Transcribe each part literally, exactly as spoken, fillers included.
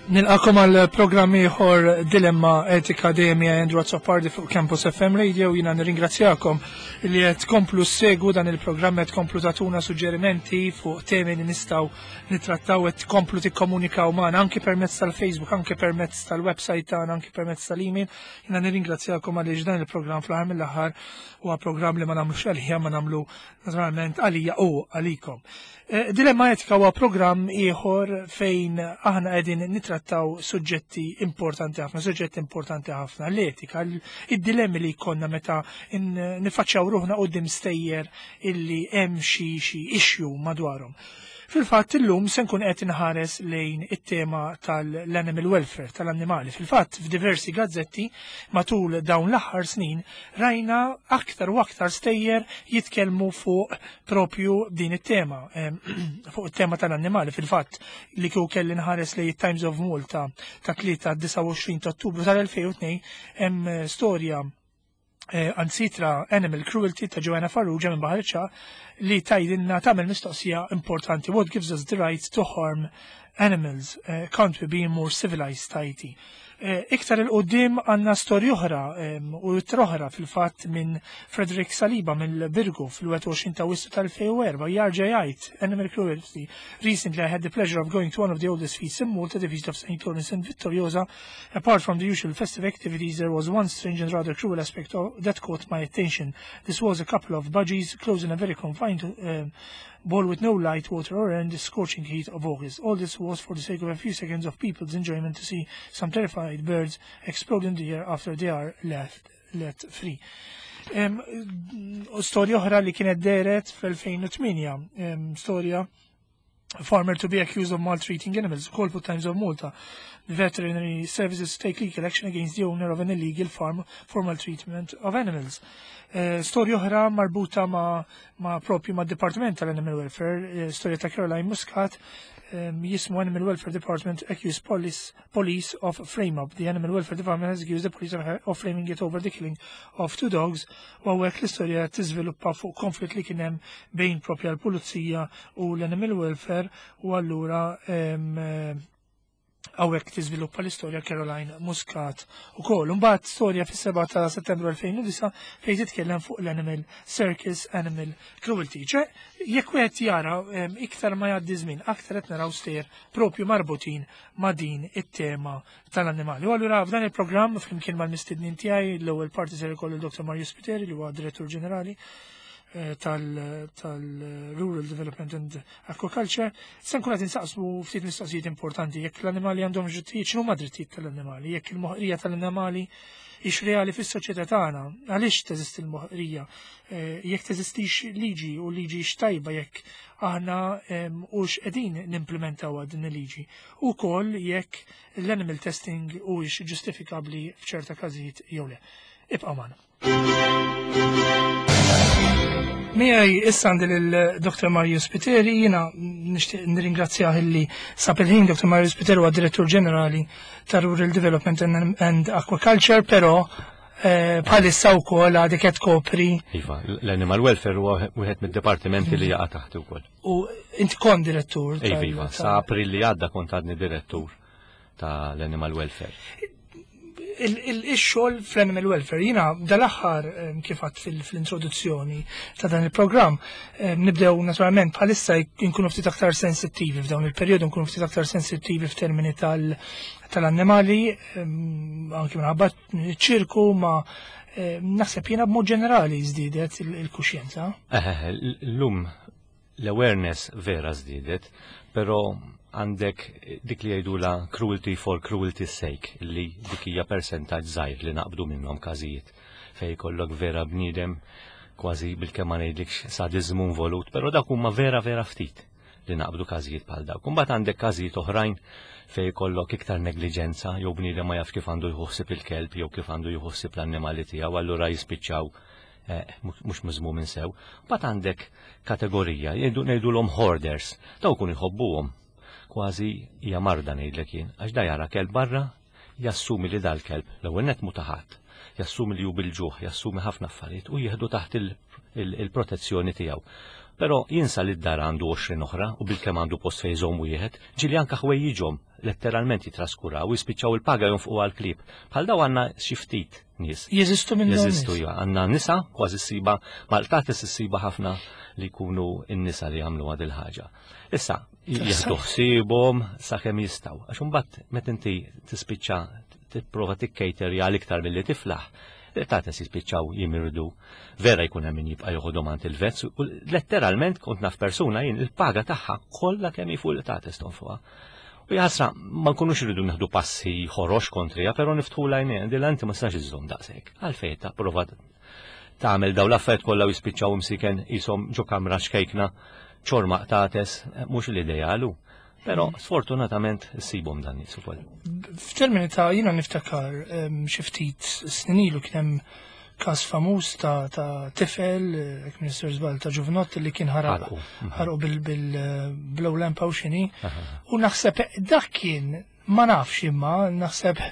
Nilqagħkom għal programm ieħor Dilemma Etika, dejjem Andrew Azzopardi fuq Campus F M Radio. Jiena nirringrazzjakom li qed tkomplu ssegwu dan il-programm, qed tkomplu tagħtuna suġġerimenti fuq temi li nistgħu nittrattaw, qed tkomplu tikkomunikaw magħna anke permezz tal-Facebook, anke permezz tal-website tagħna, anke permezz tal-email. Jiena nirringrazzjakom għaliex dan il-programm fl-aħħar mill-aħħar huwa programm li ma nagħmlux għalija, ma nagħmlu naturalment għalija u għalikom. Eh, Dilemma Etika huwa programm ieħor fejn aħna qegħdin nitrattaw suġġetti importanti ħafna, suġġetti importanti ħafna, l-etika, id-dilemmi li jkollna meta nifaċċaw ruħna quddiem stejjer illi hemm xi xi issue madwarhom. Fil-fatt illum se nkun qed inħares lejn it-tema tal-animal welfare, tal-annimali. Fil-fatt f'diversi gazzetti matul dawn l-aħħar snin rajna aktar u aktar stejjer jitkellmu fuq propju din it-tema, fuq it-tema tal-annimali. Fil-fatt li kieku kelli nħares lejn Times of Malta ta' tlieta disgħa u għoxrin ta' Ottubru tal-elfejn u tnejn hemm storja eh, ansitra Animal Cruelty ta' Joanna Farrugia minn Baħar iċ-Ċagħaq li tgħidilna, tagħmel mistoqsija importanti. "What gives us the right to harm animals? Uh, can't we be more civilized?" tgħid. Eh, iktar 'il quddiem għandna storja oħra u oħra fil-fatt minn Frederick Saliba mill-Birgu fil-wieħed u għoxrin ta' Awwissu tal-elfejn u erbgħa jarġa' jgħid "Animal Cruelty. Recently I had the pleasure of going to one of the oldest feasts in Malta, the Feast of Saint Lawrence in Vittoriosa. Apart from the usual festive activities, there was one strange and rather cruel aspect of, that caught my attention. This was a couple of budgies closed in a very confined um, bowl with no light, water or air in the scorching heat of August. All this was for the sake of a few seconds of people's enjoyment to see some terrified birds explode in the air after they are left let free." Um, storja oħra li kienet dehret fl-elfejn u tmienja, um, storja "Farmer to be accused of maltreating animals", call for Times of Malta. "The veterinary services take legal action against the owner of an illegal farm for maltreatment of animals." Uh, storja oħra marbuta ma, ma propju ma' Department tal-Animal Welfare, uh, storja ta' Caroline Muscat, um, jismu "Animal Welfare Department accused police, police of frame-up". "The Animal Welfare Department has accused the police of, of framing it over the killing of two dogs." U hawnhekk l-istorja tiżviluppa fuq konflitt li kien hemm bejn propja l-pulizija u l-Animal Welfare u allura um, hawnhekk tiżviluppa l-istorja Caroline Muscat ukoll. Mbagħad storja fis-sebgħa ta' Settembru elfejn u disgħa fejn titkellem fuq l-Animal Circus, Animal Cruelty. Ċe, jekk wieħed jara, iktar ma jgħaddi żmien, aktar qed naraw stejjer propju marbutin ma' din it-tema tal-annimali. U allura f'dan il-programm flimkien mal-mistednin tiegħi, l-ewwel parti ser ikollu l-Dottor Mario Spiteri li huwa Direttur Ġenerali tal-Rural Development and Aquaculture, se nkun qed insaqsu ftit mistoqsijiet importanti: jekk l-annimali għandhom drittijiet, x'inhuma drittijiet tal-annimali, jekk il-moħqrija tal-annimali hix reali fis-soċjetà tagħna, għaliex teżisti l-moħqrija, jekk teżistix liġi u liġi x'tajba, jekk aħna hux qegħdin nimplementaw din il-liġi. Ukoll jekk l-animal testing huwiex ġustifikabbli f'ċerta każijiet jew le. Ibqa' magħna. Miegħi issa għandi l-Dottor Mario Spiteri. Jiena nixtieq nirringrazzjah illi sab il-ħin. Dottor Mario Spiteri huwa Direttur Ġenerali ta' Rural Development and Aquaculture, però eh, bħalissa wkoll għadek qed tkopri Iva, l-Animal Welfare huwa wieħed mid-dipartimenti li jaqa' taħt ukoll. U inti kont direttur. Iva, iva, sa April li għadda kont għadni direttur tal-Animal Welfare. Il-xogħol fl-animal welfare, jiena dal-aħħar, kif għedt fil-introduzzjoni ta' dan il-programm, nibdew naturalment bħalissa nkunu ftit aktar sensittivi f'dawn il-perjodu, nkunu ftit aktar sensittivi f'termini tal-annimali, anki minħabba ċirku, ma naħseb jiena b'mod ġenerali żdiedet il-kuxjenza. L-lum l-awareness vera żdiedet, però għandek dik li jgħidula cruelty for cruelty's sake, li dik hija percentaġġ żgħir li naqbdu minnhom każijiet fej kollok vera bniedem kważi bil-kemm ma ngħidlikx sadizmu involut, però dak huma vera vera ftit li naqbdu każijiet bħal dawk. Imbagħad għandek każijiet oħrajn fej kollok iktar negliġenza jew bniedem ma jaf kif għandu jħossib il-kelb jew kif għandu jħossib l-annimali tiegħu, allura jispiċċaw eh, mhux miżmumin sew. Mbagħad għandek kategorija, ngħidulhom hoarders, daw kun jħobbuhom, kważi hija marda ngħidlek jien, għax da jara kelb barra, jassumi li dal-kelb l-ewwel net mhu ta' ħadd, jassumi li hu bil-ġuħ, jassumi ħafna affarijiet u jieħdu taħt il-protezzjoni tiegħu. Però jinsa li d-dar għandu għoxrin oħra u bilkemm għandu post fejn iżomm wieħed, ġieli anka ħwejjiġhom letteralment jitraskuraw u jispiċċaw il-paga jonfqu għal-klieb. Bħal daw għandna xi ftit nies. Jeżistu minn dawn Jeżistu, nies? Ja, għandna nisa, kważi ssiba, mal-qtates issiba ħafna li jkunu n-nisa li jagħmlu għad il-ħaġa. Issa, jieħdu ħsiebhom sakemm jistgħu. Għax imbagħad meta inti tispiċċa tipprova tikkejterja għal iktar milli tiflaħ, il-qtates jispiċċaw jimirdu, vera jkun hemm min jibqa' joħodhom għand il-vets u letteralment kont naf persuna jien il-paga tagħha kollha kemm hi fuq il-qtates tonfoqha. U jaħasra, ma nkunux rridu nieħdu passi ħorox kontrija, però niftħu l-għajnejn, dil inti ma tistax iżżomm daqshekk. Għalfejn ta' prova tagħmel daw l-affarijiet kollha u jispiċċaw imsiken jisom ġo kamra xkejkna ċorma qtates, mhux l-idealu. Però sfortunatament issibhom dan nies ukoll. F'termini ta' jiena niftakar em, xi ftit snin ilu kien hemm każ famuż ta' ta' tifel, eh, jekk Minister żball, ta' ġuvnott li kien ħaraq Ħarqu. Mhm. ħarqu bil-blow lamp u xini. U naħseb dak kien, ma nafx imma, naħseb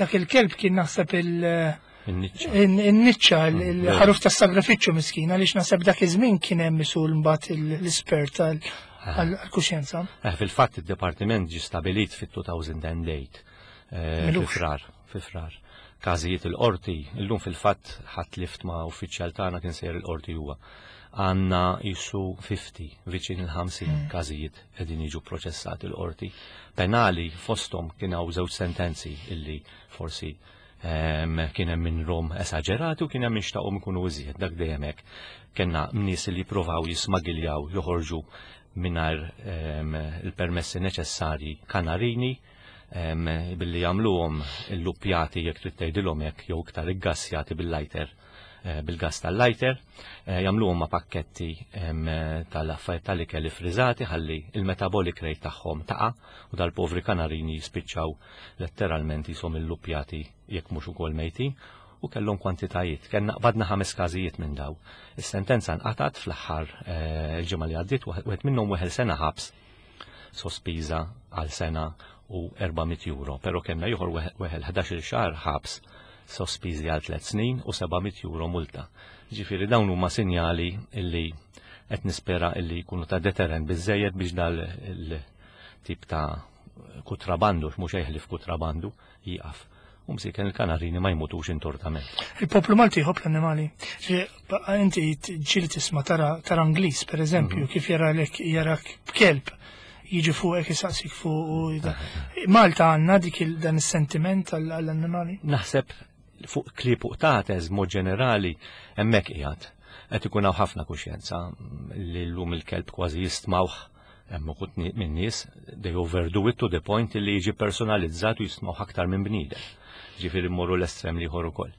dak il-kelb kien naħseb il- In-niċċa. in-niċċa, il-ħaruf tas sagrifiċċju miskin, għaliex naħseb dak iż-żmien kien hemm isul mbagħad l-ispert għall-kuxjenza. Eh, Fil-fatt id-departiment ġi stabilit fit-elfejn u tmienja. eh, Milux. Fi Frar, fi Frar. Każijiet il-qorti, illum fil-fatt ħadd lift ma' uffiċjal tagħna kien sejjer il-qorti huwa. Għandna jisu ħamsin, viċin il-ħamsin każijiet qegħdin jiġu proċessati il-qorti. Penali fosthom kien hawn żewġ sentenzi illi forsi em, kien hemm min rom esaġerati u kien hemm min xtaqhom ikunu iżjed, dak dejjem hekk. Kellna nies li jippruvaw jismagiljaw, joħorġu mingħajr em, il-permessi neċessarji kanarini em, billi jagħmluhom il-luppjati jekk trid tgħidilhom hekk jew iktar iggassjati bil-lighter, eh, bil-gas tal-lighter, eh, jagħmluhom ma' pakketti em, tal-affarijiet tal-ikel friżati ħalli il-metabolic rate tagħhom taqa' u dal-povri kanarini jispiċċaw letteralment jisom il-luppjati jekk mhux ukoll mejtin u kellhom kwantitajiet. Kellna qbadna ħames każijiet minn daw. Is-sentenza nqatat fl-aħħar eh, il-ġimgħa li għaddiet, wieħed minnhom weħel sena ħabs sospiża għal sena u erba' mitt euro, pero kellna ieħor weħel ħdax-il xahar ħabs sospiżi għal tliet snin u seba' mitt euro multa. Ġifieri dawn huma sinjali illi qed nispera illi jkunu ta' deterrent biżejjed biex dal il-tip ta' kutrabandu, mhux ħlief kutrabandu, jieqaf. U msiken il-kanarini ma jmutux intortament. Il-poplu Malti jħobb l-annimali. Ġi, ba- Inti ġieli tisma' tara tara Ingliż, per eżempju, kif jara lek jarak b'kelb jiġi fuqek jisaqsik fuq u jida. Malta għandna dik il- dan is-sentiment għall-annimali. Naħseb fuq klieb u qtates mod ġenerali hemmhekk qiegħed. Qed ikun hawn ħafna kuxjenza li llum il-kelb kważi jistmawh, hemm uħud ni- minn nies they overdo it to the point li jiġi personalizzat u jistmawh aktar minn bniedem. Ġifieri mmorru l-estrem li ieħor ukoll.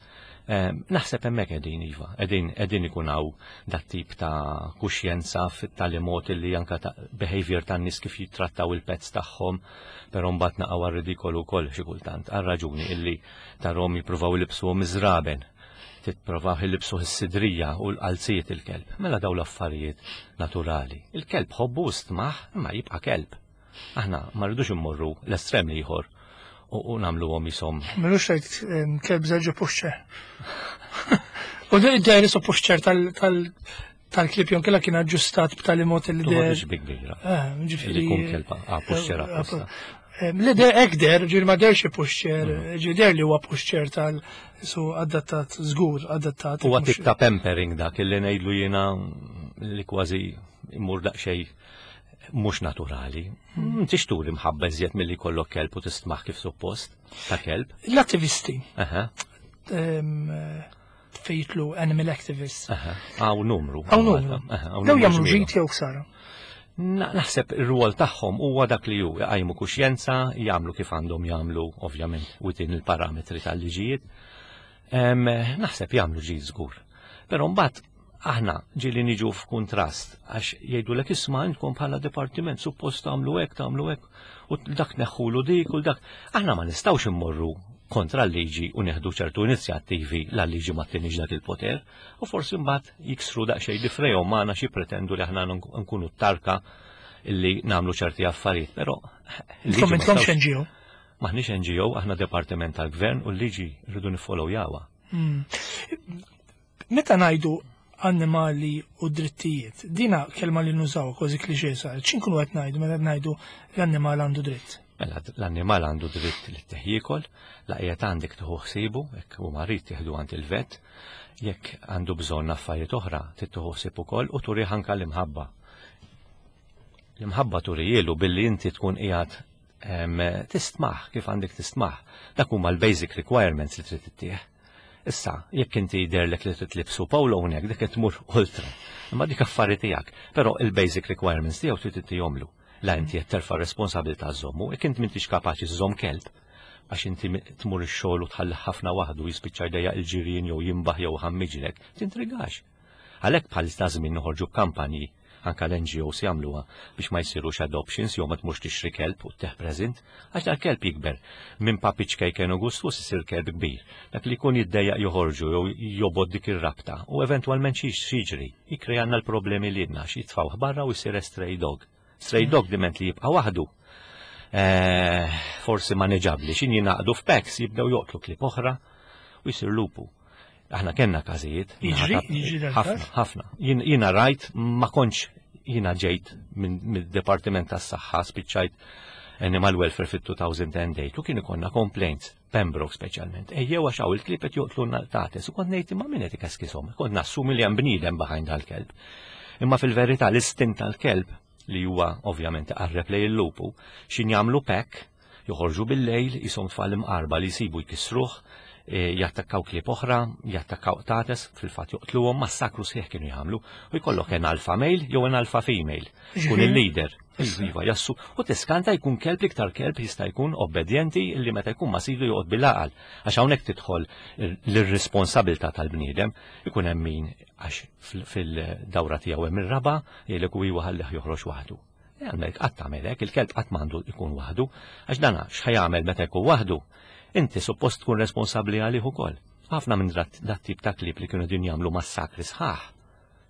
Em, Naħseb hemmhekk qegħdin iva, qegħdin qegħdin ikun hawn dat tip ta' kuxjenza fit-tali mod li anka ta' behavior tan-nies kif jittrattaw il-pets tagħhom, però mbagħad naqgħu għar-ridikolu wkoll xi kultant, għal raġuni illi tarhom jippruvaw ilibsuhom iż-żraben, titprovaw ilibsuh is-sidrija u l-qalzijiet il-kelb. Mela daw l-affarijiet naturali. Il-kelb ħobbu stmaħ imma jibqa' kelb. Aħna ma rridux immorru l-estrem li ieħor u, u nagħmluhom jisom Milux rajt em, kelb żewġ pushchair. U d-dajri so pushchair tal- tal- tal-klieb jon kella kien aġġustat b'tali mod li der. Toħodx bi kbira. Eh, ġifieri. Li jkun kelba, ah, pushchair apposta. Li der ek der, ġifieri ma derx pushchair, ġifieri der li huwa pushchair tal su adattat, żgur adattat. Huwa tip ta' pampering dak illi ngħidlu jiena li kważi imur daqsxejn mhux naturali. M'intix turi mħabba iżjed milli jkollok kelb u tistmaħ kif suppost ta' kelb. L-attivisti, Aha, em, fejtlu animal activists. aha. Hawn numru. Hawn numru. Aha, hawn Daw numru jagħmlu ġmielu. ġid jew ħsara? Na- Naħseb ir-rwol tagħhom huwa dak li hu jqajmu kuxjenza, jagħmlu kif għandhom jagħmlu ovvjament within il-parametri tal-liġijiet. Em, Naħseb jagħmlu ġid żgur. Però mbagħad aħna ġieli niġu f'kuntrast għax jgħidulek, "Isma', intkom bħala dipartiment suppost tagħmlu hekk, tagħmlu hekk u dak neħħulu dik u dak." Aħna ma nistgħux immorru kontra l-liġi u neħdu ċertu inizjattivi la liġi ma tinix dak il-poter u forsi mbagħad jiksru daqsxejn difrejhom magħna xi pretendu li aħna nkunu tarka illi nagħmlu ċerti affarijiet, però il-liġi Intom ma intkomx nistgħux- N G O. Maħniex N G O, aħna departiment tal-gvern u l-liġi rridu niffollowjawha. Meta ngħidu Annimali u drittijiet. Dina kelma li nużaw kważi klixè sar. X'inkunu qed ngħidu meta qed ngħidu l-annimal għandu dritt? Mela, l-annimal għandu dritt li ttih jiekol, la qiegħed għandek tieħu ħsiebu, jekk hu marid tieħdu għand il-vet, jekk għandu bżonn affarijiet oħra, tieħu ħsieb ukoll u turih anka l-imħabba. L-imħabba turihielu billi inti tkun qiegħed tistmah kif għandek tistmah. Dak huma l-basic requirements li trid ittih. Issa, jekk inti jidherlek li trid tlibsu polo hawnhekk, dik qed tmur ultra. Imma dik affari tiegħek. Però il-basic requirements tiegħu trid ittihomlu. La inti qed terfa' responsabilità żommu, jekk inti m'intix kapaċi żżomm kelb, għax inti tmur ix-xogħol u tħalli ħafna waħdu, jispiċċa jdejjaq il-ġirien jew jimbaħ jew ħammiġlek, tintrigax. Għalhekk bħalissa żmien noħorġu kampanji, anka l-N G Os jagħmluha, biex ma jsirux adoptions jew ma tmurx tixtri kelb u ttih present, għax dal kelb jikber minn puppy ċkejken u gustus isir kelb kbir. Dak li jkun jiddejjaq joħorġu jew jobgħod dik ir-rabta u eventwalment xi jiġri, jikkrejanna l-problemi li għandna xi jitfgħuh barra u jsir stray dog. Stray dog diment li jibqa' waħdu. Eh, forsi maneġabli, xin jingħaqdu f'packs jibdew joqtlu klieb oħra u jsir lupu. Aħna kellna każijiet. Ħafna, ħafna. Jiena rajt, ma kontx, jiena ġejt mid-Departiment tas-Saħħa, spiċċajt Animal Welfare fit-elfejn u tmienja u kien ikollna complaints, Pembroke speċjalment. Ejjew għax hawn il-klieb qed joqtlu qtates u kont ngħid, imma min qed ikaskisom? Kont nassumi li hemm bniedem behind dal-kelb. Imma fil-verità l-istint tal-kelb li huwa ovvjament qarreb lejn il-lupu, xin jagħmlu pack, joħorġu bil-lejl jisom tfal imqarba li jsibu jkissruh, e, jattakkaw klieb oħra, jattakkaw qtates, fil-fatt joqtluhom, massakru sħiħ kienu jagħmlu, u jkollok an alpha male jew an alpha female. Kun il-leader. Iva, jassu, u tiskanta jkun kelb, iktar kelb jista' jkun obbedjenti illi meta jkun ma sidu joqgħod bil-għaqal. Għax hawnhekk tidħol l-irresponsabilità tal-bniedem, ikun hemm min għax fil-dawra tiegħu hemm ir-raba' jgħidlek u iwa ħallih joħroġ waħdu. Għandek qatt tagħmel hekk, il-kelb qatt m'għandu jkun waħdu, għax dana x'ħa jagħmel meta jkun waħdu? Inti suppost tkun responsabbli għalih ukoll. Ħafna minn dat tip ta' klieb li kienu din jagħmlu massakri sħaħ.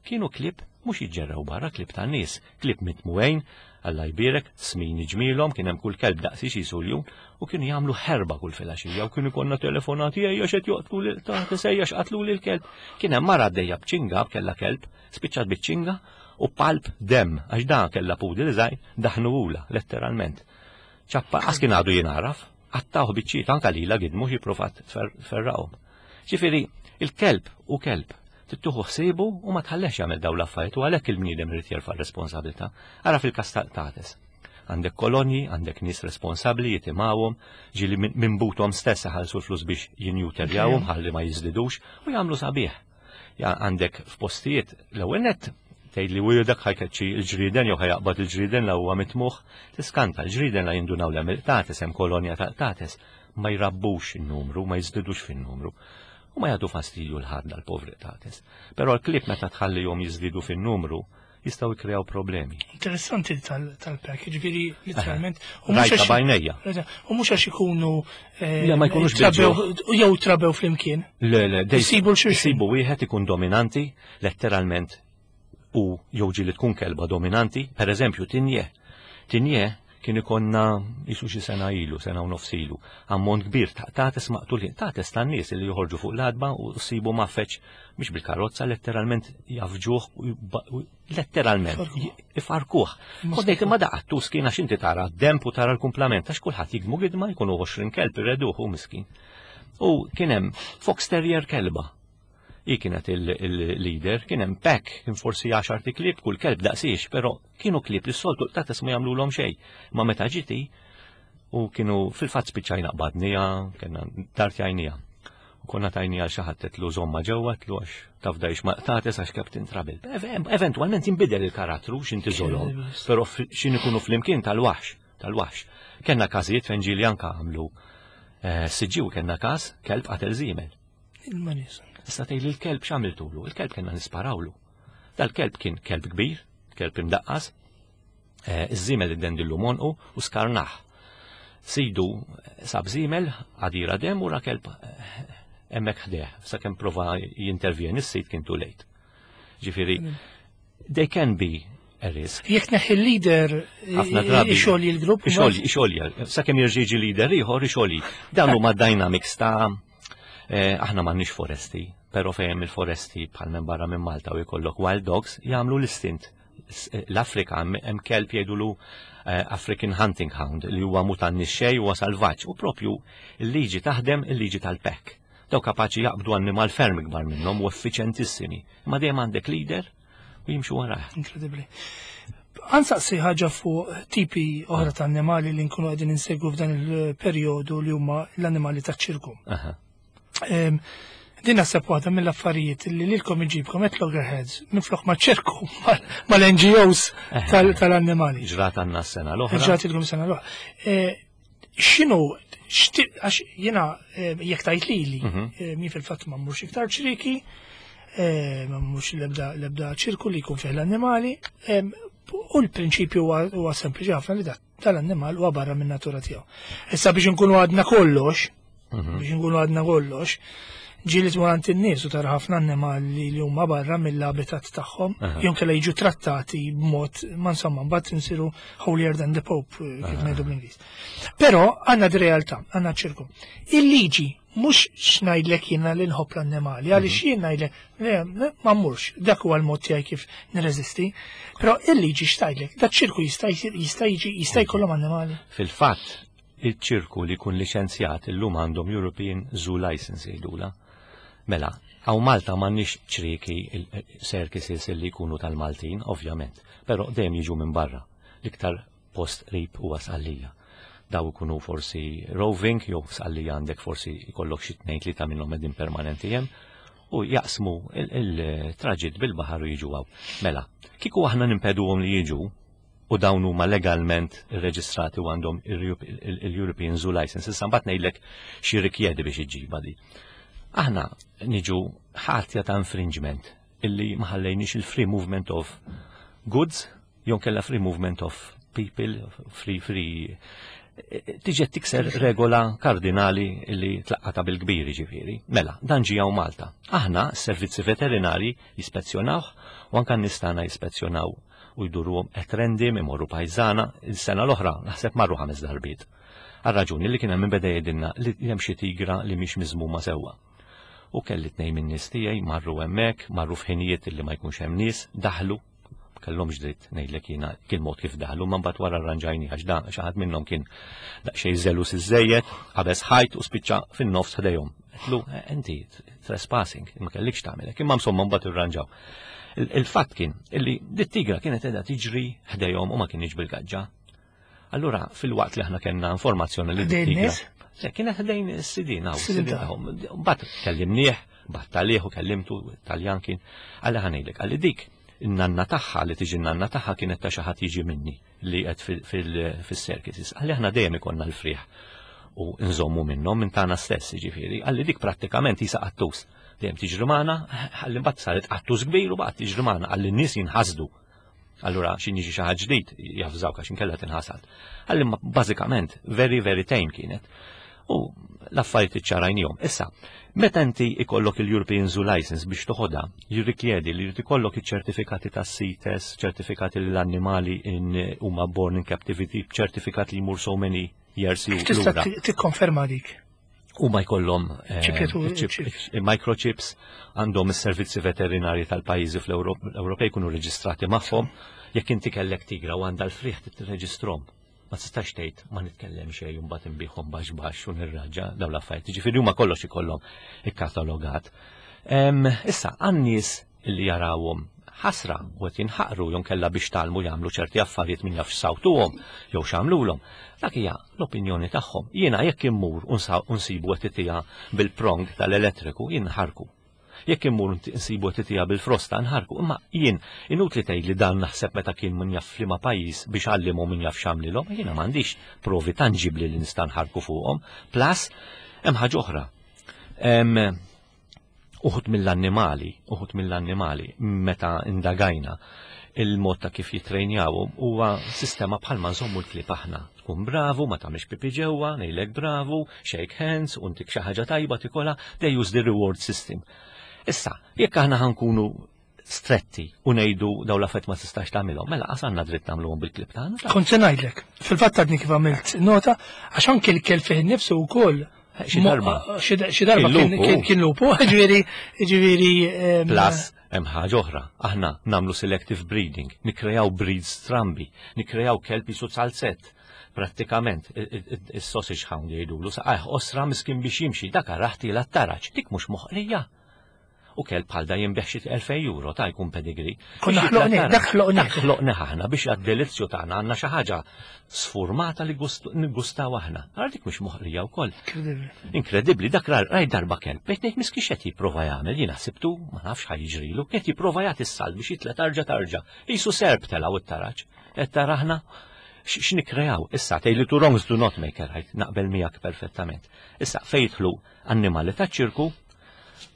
Kienu klieb mhux jiġġerrew barra, klieb tan-nies, klieb mitmugħin, Alla jbierek, smin ġmilhom, kien hemm kull kelb daqsi xi suljun, u kienu jagħmlu ħerba kull filgħaxija u kienu konna telefonati, ejja x'qed joqtlu lil ta' ejja x'qatlu lil kelb. Kien hemm mara għaddejja b'ċinga, kellha kelb, spiċċat biċ-ċinga u palp dem, għax dan kellha poodle żgħir, daħnuhulha, letteralment. Ċappa, għas kien għadu jinaraf, qattgħuh biċċiet, anka lila gidmu xi provat ferraqhom. Ġifieri, il-kelb u kelb, tieħu ħsiebu u ma tħallex jagħmel dawn l-affarijiet u għalhekk il-bniedem irid jerfa' responsabilità. Ara fil-każ ta' għandek kolonji, għandek nies responsabbli jitimgħuhom, ġieli minn buthom stess ħallsu l-flus biex jinnewterjawhom ħalli ma jiżdidux u jagħmlu sabiħ. Għandek f'postijiet l-ewwel nett tgħid li u dak ħa jkeċċi l-ġrieden jew ħa jaqbad il-ġrieden la huwa mitmugħ, tiskanta l-ġrieden la jindunaw l qtates, hemm kolonja ta' qtates, ma jrabbux in-numru, ma jiżdidux fin-numru. U ma jagħtu fastidju l-ħadd dal-povri qtates. Però l-klieb meta tħallihom jiżdiedu fin-numru, jistgħu jkreaw problemi. Interessanti tal-pack, ġifieri literalment. Rajta b'għajnejja. U mhux għax ikunu. Eh, ma jkunux. Jew trabew flimkien. Le, le, Jisibu l-xulxin. Jisibu wieħed ikun dominanti, letteralment, u jew ġieli tkun kelba dominanti, per eżempju tinje. Tinje kien ikonna jisu xi sena ilu, sena u nofs ilu, ammont kbir ta' qtates maqtulin, qtates tan-nies li joħorġu fuq l-għatba u sibu maffeċ mhux bil-karozza, letteralment jafġuh, letteralment ifarkuh. Kont ngħid imma daqattu skin għax inti tara d-demp u tara l-kumplament għax kulħadd jigmu gidma, jkunu għoxrin kelb irreduh u miskin. U kien hemm fox terrier kelba. I kienet il-leader, kien hemm pack, kien forsi għaxar klieb, kull kelb daqsiex, però kienu klieb li s-soltu qtates ma jagħmluhom xejn. Ma meta ġiti u kienu fil-fatt spiċċajna qbadnija, kellna dartjajnija. U konna tajnija għal xi ħadd tlu żomma ġewwa tlu għax tafdajx ma qtates għax Captain Trouble. Eventualment jinbidel il-karattru x'inti żolhom, però xin ikunu flimkien tal-waħx, tal-waħx. Kellna każijiet fejn ġieli anka għamlu eh, siġġiw, kellna każ kelb qatel żiemel. Il-manis. Issa tgħid il-kelb x'għamiltulu? Il-kelb kellna nisparawlu. Dal-kelb kien kelb kbir, kelb imdaqqas, eh, iż-żiemel iddendillu monqu u skarnaħ. Sidu sab żiemel għadira dem u ra kelb eh, hemmhekk ħdejh, sakemm prova jintervjeni s-sid kien too late. Ġifieri, they can be a risk. Jekk neħi l-leader Ħafna drabi. ixolji l-grupp. Ixolji, ixolji, sakemm jirġiġi leader ieħor ixolji. Dan huma dynamics ta' eh, aħna m'għandniex foresti. Pero fejn il-foresti bħal minn barra minn Malta u jkollok wild dogs jagħmlu l-istint. L-Afrika hemm kelb jgħidulu eh, African Hunting Hound li huwa mutanni xej, huwa salvaġġ, u propju il-liġi taħdem, il-liġi tal-pack. Daw kapaċi jaqbdu annimal ferm ikbar minnhom u effiċentissimi. Imma dejjem għandek leader u jimxu warah. Inkredibbli. Ħa nsaqsi ħaġa fuq tipi oħra ta' annimali li nkunu qegħdin insegwu f'dan il-perjodu, li huma l-annimali ta' ċirku. Aha. Em, Din naħseb waħda mill-affarijiet li lilkom iġibkom at loggerheads minflok ma' ċirku mal-N G Os tal- tal-annimali. Ġrat għandna s-sena l-oħra. Ġratilkom sena l-oħra. Eh, X'inhu, xti- għax jiena eh, jekk tajt lili, Mhm. eh, mi fil-fatt ma mmurx iktar ċriki, eh, ma mmurx l-ebda l-ebda ċirku li jkun fih l-annimali, em, u l-prinċipju huwa huwa sempliċi ħafna, li tal-annimal huwa barra minn natura tiegħu. Issa, biex nkunu għadna kollox, Mhm. biex nkunu għadna kollox, ġieli tmur għand in-nies u tara ħafna annimali li huma barra mill-habitat tagħhom, Aha. jew kellha jiġu trattati b'mod, ma insomma, mbagħad insiru holier than the Pope, eh, kif ngħidu bl-Ingliż. Però għandna di realtà, għandna ċirku. Il-liġi mhux x'ngħidlek jiena li nħobb l-annimali, għaliex jien ngħidlek le, le, ma mmurx, dak huwa l-mod tiegħi kif nirreżisti. Però il-liġi x'tgħidlek, dak ċirku jista' jsir, jista' jiġi, jista' jkollhom annimali? Fil-fatt, il-ċirku li jkun liċenzjat illum għandhom European Zoo License jgħidula. Mela, hawn Malta m'għandniex ċrieki, circuses li jkunu tal-Maltin, ovvjament, però dejjem jiġu minn barra. L-iktar post qrib huwa Sqallija. Daw ikunu forsi roving, jew Sqallija għandek forsi jkollok xi tnejn tlieta minnhom qegħdin permanenti hemm u jaqsmu il-traġitt bil-baħar u jiġu hawn. Mela, kieku aħna nimpeduhom li jiġu u dawn huma legalment irreġistrati u għandhom il-European Zoo License. Issa mbagħad ngħidlek xi rikjedi biex iġġibha di. Aħna niġu ħatja ta' infringement illi ma ħallejniex il-free movement of goods jew kella free movement of people, free free tiġi tikser regola kardinali illi tlaqqata bil-kbir ġifieri. Mela, dan ġie hawn Malta. Aħna, s-servizzi veterinari jispezzjonawh u anka nistana jispezzjonaw u jduruhom at random, imorru pajżana, il-sena l-oħra naħseb marru ħames darbiet. Għal-raġuni li kien hemm beda jgħidilna li hemm xi tigra li mhix miżmuma sewwa. U kelli tnejn minn nies tiegħi marru hemmhekk, marru f'ħinijiet li ma jkunx hemm nies, daħlu, kellhomx dritt ngħidlek jiena kien mod kif daħlu, ma mbagħad wara arranġajni għax da xi ħadd minnhom kien daqsxejn żelus iżejjed, qabeż ħajt u spiċċa fin-nofs ħdejhom. Għedtlu, "Inti trespassing, ma kellikx tagħmel hekk," imma insomma mbagħad irranġaw. Il-fatt kien illi dit-tigra kienet qiegħda tiġri ħdejhom u ma kienx bil-gaġġa. Allura fil-waqt li aħna kellna informazzjoni li dit-tigra. Se kienet ħdejn is-sidin hawn, is-sidin tagħhom. Mbagħad kellimnieh, bat għalih u kellimtu, Taljan kien, għalli ħa ngħidlek, għalli dik in-nanna tagħha li tiġi n-nanna tagħha kienet ta' xi ħadd jiġi minni li qed fis-circuses. Għalli aħna dejjem ikollna l-frieħ u nżommu minnhom minn tagħna stess ġifieri. Għalli dik prattikament jisa qattus. Dejjem tiġri magħna, għalli mbagħad saret qattus kbir u baqgħet tiġri magħna, għalli n-nies jinħasdu. Allura xi jiġi xi ħadd ġdid jafżawk għax inkella tinħasad. Għalli bażikament very very tame kienet. U l-affarijiet iċċarajnihom. Issa, meta inti ikollok il-European Zoo License biex toħodha, jirrikjedi li jrid ikollok iċ-ċertifikati ta' CITES, ċertifikati li l-annimali huma born in captivity, ċertifikat li jmur so many years Tista' tikkonferma dik? U ma jkollhom eh, microchips, għandhom is-servizzi veterinari tal-pajjiżi fl-Ewropej jkunu reġistrati magħhom. Jekk inti kellek tigra u għandha l-frieħ, tirreġistrahom, ma tistax tgħid ma nitkellem xejn u mbagħad inbiħhom baxx baxx u nirraġa dawn l-affarijiet. Ġifieri huma kollox ikollhom ikkatalogat. Issa għan-nies li jarawhom ħasra u qed jinħaqru jew kella biex talmu jagħmlu ċerti affarijiet, min jaf sawtuhom jew x'għamlulhom. Dak hija l-opinjoni tagħhom. Jiena jekk immur u nsibu qed bil-prong tal-elettriku, jien ħarku. Jekk immur nsibu qed bil-frosta, nħarku, imma jien inutli tgħid li dan naħseb meta kien min jaf f'liema pajjiż biex għallimu min jaf x'għamlilhom, jiena m'għandix provi tanġibli li nista' nħarku fuqhom. Plus hemm ħaġa oħra. Uħud mill-annimali, uħud mill-annimali, meta indagajna il-mod ta' kif jitrejnjaw huwa sistema bħalma nżommu l-klieb aħna. Tkun bravu, ma tagħmilx pipi ġewwa, ngħidlek bravu, shake hands, u ntik xi ħaġa tajba tikola, they use the reward system. Issa, jekk aħna ħa nkunu stretti u ngħidu daw l-affarijiet ma tistax tagħmilhom, mela qas għandna dritt nagħmluhom bil-klieb tagħna. Kont se ngħidlek, fil-fatt għadni kif għamilt nota, għax anke l-kelb fih innifsu wkoll Xi darba. Xi darba kien lupu, ġifieri ġifieri Plus hemm ħaġa oħra, aħna nagħmlu selective breeding, nikkrejaw breeds strambi, nikkrejaw kelb jisu salzett. Prattikament, is-sausage hound jgħidulu, saqajh osra miskin biex jimxi, dak raħti la taraġ, dik mhux moħqrija. U kelb bħal da jinbiegħ xi elfejn euro ta' jkun pedigree. Konna ħloqni, dak ħloqni. Dak ħloqni aħna biex għad-delizzju tagħna għandna xi ħaġa sfurmata li niggustaw aħna. Ara dik mhux moħqrija wkoll. Inkredibbli, dak raj darba kelb, bejt ngħid miskin x'qed jipprova jagħmel, jiena ħsibtu ma nafx ħa jiġrilu, qed jipprova jagħti s-salt biex jitla tarġa tarġa. Qisu serp telgħu it-taraġ. Qed taraħna x'nikkrejaw? Issa tgħid li two wrongs do not make a right, naqbel miegħek perfettament. Issa fejn jidħlu annimali ta' ċirku,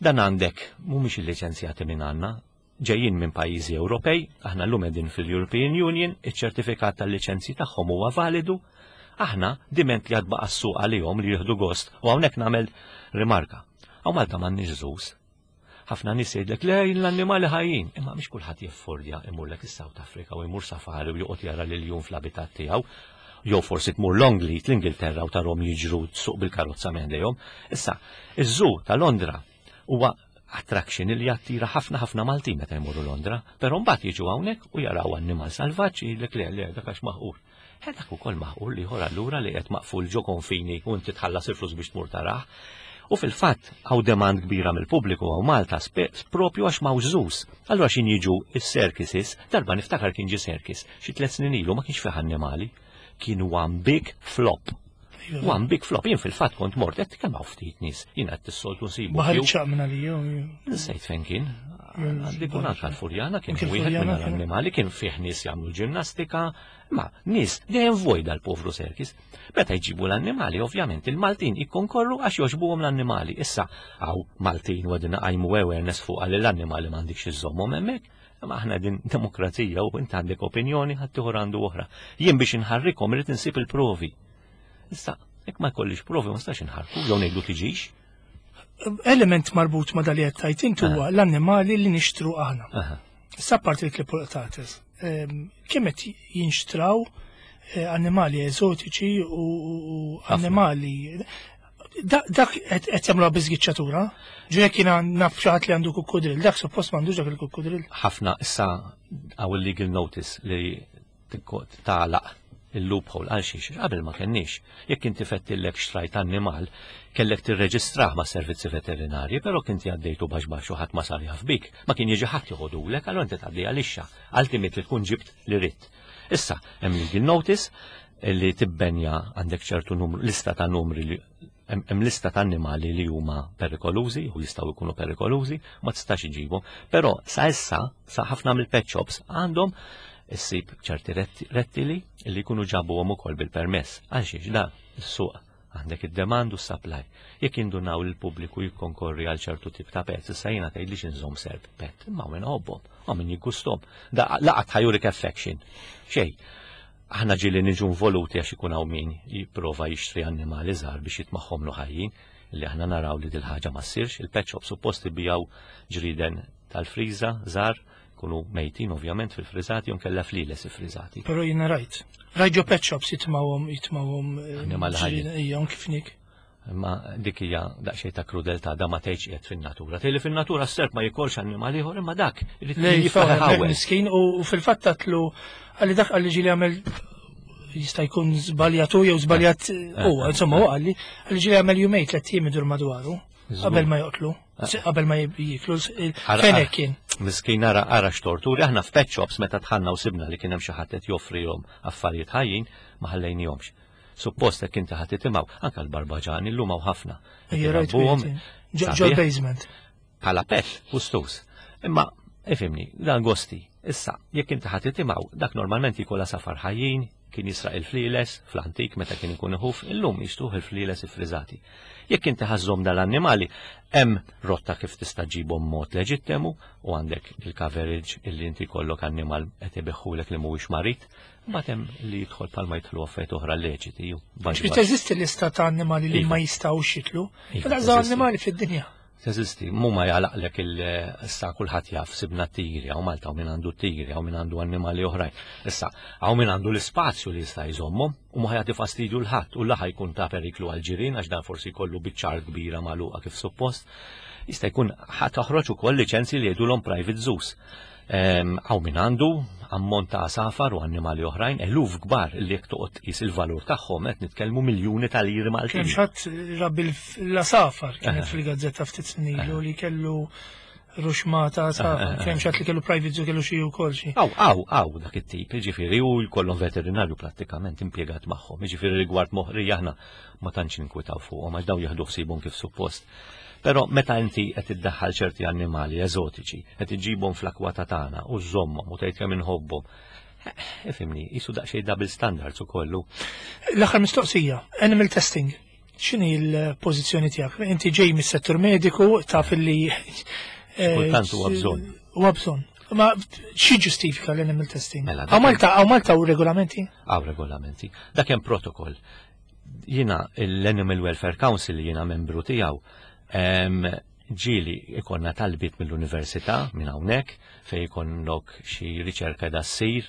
dan għandek mhumiex illiċenzjati minn għandna, ġejjin minn pajjiżi Ewropej, aħna llum qegħdin fil-European Union, iċ-ċertifikat tal-liċenzji tagħhom huwa validu, aħna diment li għad baqa' s-suq għalihom li jieħdu gost, u hawnhekk nagħmel rimarka. Hawn Malta m'għandniex zoos. Ħafna nies jgħidlek le l-annimali ħajjin, imma mhix kulħadd jeffordja imurlek is-South Africa u jmur safari u joqgħod jara l-iljun fl-abitat tiegħu. Jew forsi tmur Longleat l-Ingilterra u tarhom jiġru tsuq bil-karozza minn ħdejhom. Issa, iż-zoo ta' Londra huwa attraction li jattira ħafna ħafna Maltin meta jmorru Londra, però mbagħad jiġu hawnhekk u jaraw annimal salvaġġ jgħidlek le le dak għax maħqur. Eh, dak ukoll maħqur li ieħor allura li qed maqful ġo konfini u inti tħallas il-flus biex tmur tarah. U fil-fatt hawn demand kbira mill-pubbliku hawn Malta propju għax m'hawnx zoos. Allura xin jiġu is-circuses, darba niftakar kien ġi circus, xi tliet snin ilu ma kienx fih annimali. Kien one big flop. One big flop. Jien fil-fatt kont mort, qed kemm hawn ftit nies, jien qed tissoltu nsibu. Baħar ċaq minn għalija. Nsejt fejn kien. Għandi kun anka l-Furjana kien wieħed minn l-annimali, kien fih nies jagħmlu ġimnastika, ma nies dejjem vojda l-povru circus. Meta jġibu l-annimali, ovvjament il-Maltin jikkonkorru għax jogħġbuhom l-annimali. Issa hawn Maltin u għadina qajmu awareness fuq għal l-annimali m'għandikx iżommhom hemmhekk. Ma aħna din demokrazija u inti għandek opinjoni ħaddieħor għandu oħra. Jien biex inħarrikom irid insib il-provi. Issa, jekk ma jkollix provi ma nistax inħarku, jew ngħidu tiġix. Element marbut ma dali qed tajt intu huwa l-annimali li nixtru aħna. Issa parti l-klipotates. Kemm qed jinxtraw eh, annimali eżotiċi u annimali dak qed jagħmluha biżgiċċatura. Ġu jekk jiena naf xi ħadd li għandu kukkudrill, dak suppost m'għandux dak il-kukkudrill. Ħafna issa hawn legal notice li tagħlaq il-loophole għal xiex, qabel ma kenniex. Jekk inti fettillek xtrajt annimal, kellek tirreġistrah ma' servizzi veterinarji, però kinti għaddejtu baxx baxx u ħadd ma sar jaf bik, ma kien jiġi ħadd joħodulek, allura inti tgħaddi għalixxa, ultimately tkun ġibt li ridt. Issa, hemm legal notice li tibbenja għandek ċertu numru, lista ta' numri li hemm lista ta' annimali li huma perikolużi u jistgħu jkunu perikolużi, ma tistax iġibhom. Però sa issa, sa ħafna mill-pet shops għandhom issib ċerti rettili li jkunu ġabuhom ukoll bil-permess. Għalxiex da is-suq għandek id-demand u s-supply. Jekk indunaw li l-pubbliku jikkonkorri għal ċertu tip ta' pets, issa jiena tgħidlix inżomm serp pet, imma min iħobbhom, u min jiggustom. Da laqat ħajurik affection. Xej, aħna ġieli niġu involuti għax ikun hawn min jipprova jixtri annimali żgħar biex jitmagħhom ħajjin, li aħna naraw li dil-ħaġa ma ssirx, il-pet shop suppost ibijaw ġriden tal-friża żgħar, kunu mejtin ovvjament fil-friżati u kella fliles ifriżati. Però jiena rajt. Rajt ġo pet shops jitmawhom jitmawhom Annimali ħajjin. Ija, kif nik. Ma dik hija daqsxejn ta' krudeltà da ma tgħidx qiegħed fin-natura. Tgħid li fin-natura s-serp ma jikolx annimali ieħor imma dak irid Le, jiflaħ jiflaħ ħawel. miskin u fil-fatt tatlu għalli dak għalli ġieli għamel jista' jkun żbaljatu jew żbaljat huwa, insomma huwa għalli għalli ġieli għamel jumejn tliet ijiem idur madwaru qabel ma joqtlu, qabel ma jiklu, fenek kien. Miskin ara ara x'torturi, aħna f'pet shops meta dħalna u sibna li kien hemm xi ħadd qed joffrihom affarijiet ħajjin ma ħallejnihomx. Suppost hekk inti ħadd titimgħu, anke l-barbaġani llum hawn ħafna. Ejja, rajt Ġo basement. Bħala pet, gustus. Imma ifhimni, dan gosti. Issa, jekk inti ħadd titimgħu, dak normalment jkollha safar ħajjin, kien jisraq il-flieles fl-antik meta kien ikun iħuf, illum jixtruh il-flieles ifriżati. Jekk inti ħażhom dal-annimali, hemm rotta kif tista' ġibhom mod leġittemu u għandek il-coverage illi inti jkollok annimal qed ibiħħulek li mhuwiex marid, mbagħad hemm li jidħol palma jidħlu affarijiet oħra leċiti. Ġifieri teżisti lista ta' annimali li ma jistgħux jitlu. Iva, Daqs annimali fid-dinja. Teżisti, mu ma jalaqlek il-issa kulħadd jaf sibna tigri, hawn Malta hawn min għandu tigri, hawn min għandu annimali oħrajn. Issa, hawn min għandu l-ispazju li jista' jżommhom u ma jagħti fastidju 'l ħadd u la jkun ta' periklu għal-ġirien għax dan forsi jkollu biċċar kbira magħluqa kif suppost. Jista' jkun ħa toħroġ ukoll liċenzji li jgħidulhom private zoos. Hawn min għandu ammont ta' għasafar u annimali oħrajn, eluf kbar li jekk toqgħod tqis il-valur tagħhom qed nitkellmu miljuni ta' liri Maltin. Kien xatt rabbi l-għasafar kienet fil-gazzetta ftit snin ilu li kellu ruxmata għasafar, kien xatt li kellu private zoo, kellu xi wkoll xi. Aw, aw, aw, dak it-tip, jiġifieri u jkollhom veterinarju prattikament impjegat magħhom, jiġifieri rigward moħri aħna ma tantx ninkwitaw fuqhom għax daw jieħdu ħsiebhom kif suppost. Però meta inti qed iddaħħal ċerti annimali eżotiċi, qed iġibhom fl-akwata tagħna u żommhom u tgħid kemm inħobbhom. Ifhimni, jisu daqsxejn double standards ukollu. L-aħħar mistoqsija, animal testing. X'inhi l-pożizzjoni tiegħek? Inti ġej mis-settur mediku, taf li Kultant huwa bżonn. Huwa bżonn. Ma xi ġustifika l-animal testing? Mela, Hawn Malta, hawn Malta u regolamenti? Hawn regolamenti. Dak hemm protokoll. Jiena l-Animal Welfare Council li jiena membru tiegħu ġieli ikollna talbiet mill-università minn hawnhekk fejn ikollok xi riċerka da ssir